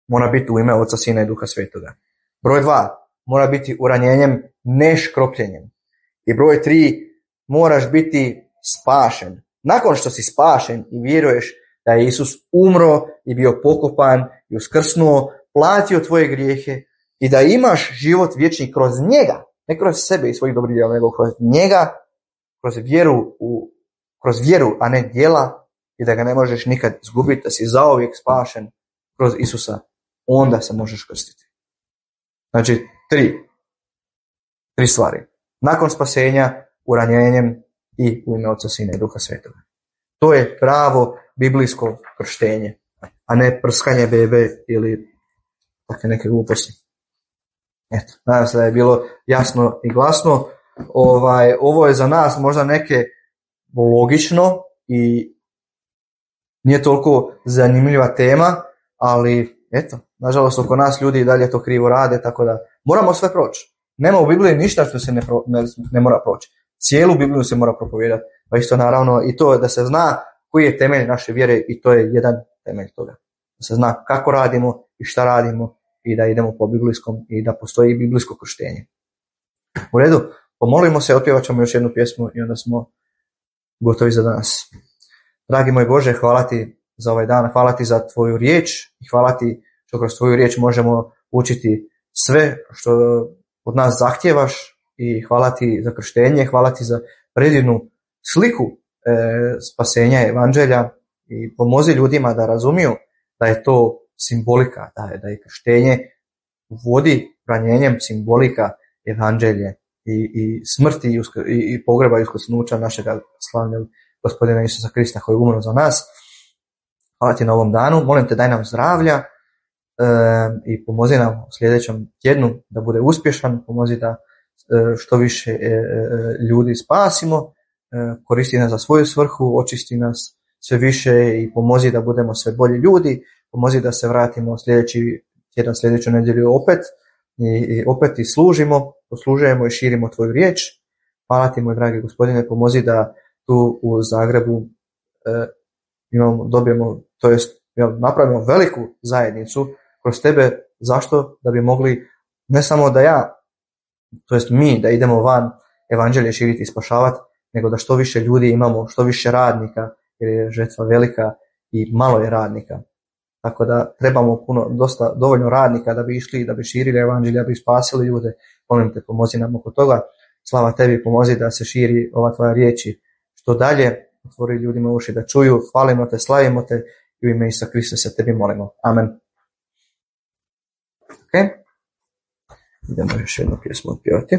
mora biti u ime Oca, Sina i Duha Svetoga. Broj dva, mora biti uranjenjem, ne škropljenjem. I broj tri, moraš biti spašen. Nakon što si spašen i vjeruješ da je Isus umro i bio pokopan i uskrsnuo, platio tvoje grijehe i da imaš život vječni kroz njega, ne kroz sebe i svojih dobrih djela, nego kroz njega, kroz vjeru, u, kroz vjeru, a ne djela, i da ga ne možeš nikad izgubiti, da si zauvijek spašen kroz Isusa, onda se možeš krstiti. Znači, tri, tri stvari. Nakon spasenja, uranjenjem i u ime Oca, Sina i Duha Svetoga. To je pravo biblijsko krštenje, a ne prskanje bebe ili takve neke gluposti. Eto, nadam se da je bilo jasno i glasno. Ovaj, ovo je za nas možda neke logično i nije toliko zanimljiva tema, ali eto, nažalost oko nas ljudi i dalje to krivo rade, tako da moramo sve proći. Nema u Bibliji ništa što se ne, pro, ne, ne mora proći. Cijelu Bibliju se mora propovijedati. Pa isto naravno i to da se zna koji je temelj naše vjere i to je jedan temelj toga. Da se zna kako radimo i šta radimo i da idemo po biblijskom i da postoji biblijsko krštenje. U redu, pomolimo se, otpjevat ćemo još jednu pjesmu i onda smo gotovi za danas. Dragi moj Bože, hvala ti za ovaj dan, hvala ti za tvoju riječ i hvala ti što kroz tvoju riječ možemo učiti sve što od nas zahtjevaš i hvala ti za krštenje, hvala ti za predivnu sliku e, spasenja evanđelja i pomozi ljudima da razumiju da je to simbolika, da je, da je krštenje vodi ranjenjem simbolika evanđelje i, i smrti i, uskr, i, i pogreba i uskrsnuća našega slavnog Gospodina Isusa Krista koji je umro za nas. Hvala ti na ovom danu, molim te daj nam zdravlja e, i pomozi nam u sljedećem tjednu da bude uspješan, pomozi da e, što više e, e, ljudi spasimo, e, koristi nas za svoju svrhu, očisti nas sve više i pomozi da budemo sve bolji ljudi, pomozi da se vratimo sljedeći tjedan, sljedeću nedjelju opet i, i opet i služimo, poslužujemo i širimo tvoju riječ. Hvala ti, moj dragi Gospodine, pomozi da tu u Zagrebu e, imamo, dobijemo, to jest napravimo veliku zajednicu kroz tebe. Zašto? Da bi mogli, ne samo da ja, to jest mi, da idemo van evanđelje širiti i spašavati, nego da što više ljudi imamo, što više radnika, jer je žetva velika i malo je radnika. Tako da trebamo puno, dosta, dovoljno radnika da bi išli, da bi širili evanđelje, da bi spasili ljude. Molim te, pomozi nam oko toga. Slava tebi, pomozi da se širi ova tvoja riječi što dalje, otvori ljudima uši da čuju. Hvalimo te, slavimo te i u ime Isusa Krista se tebi molimo. Amen. Ok. Idemo još jednu pjesmu otpjevati.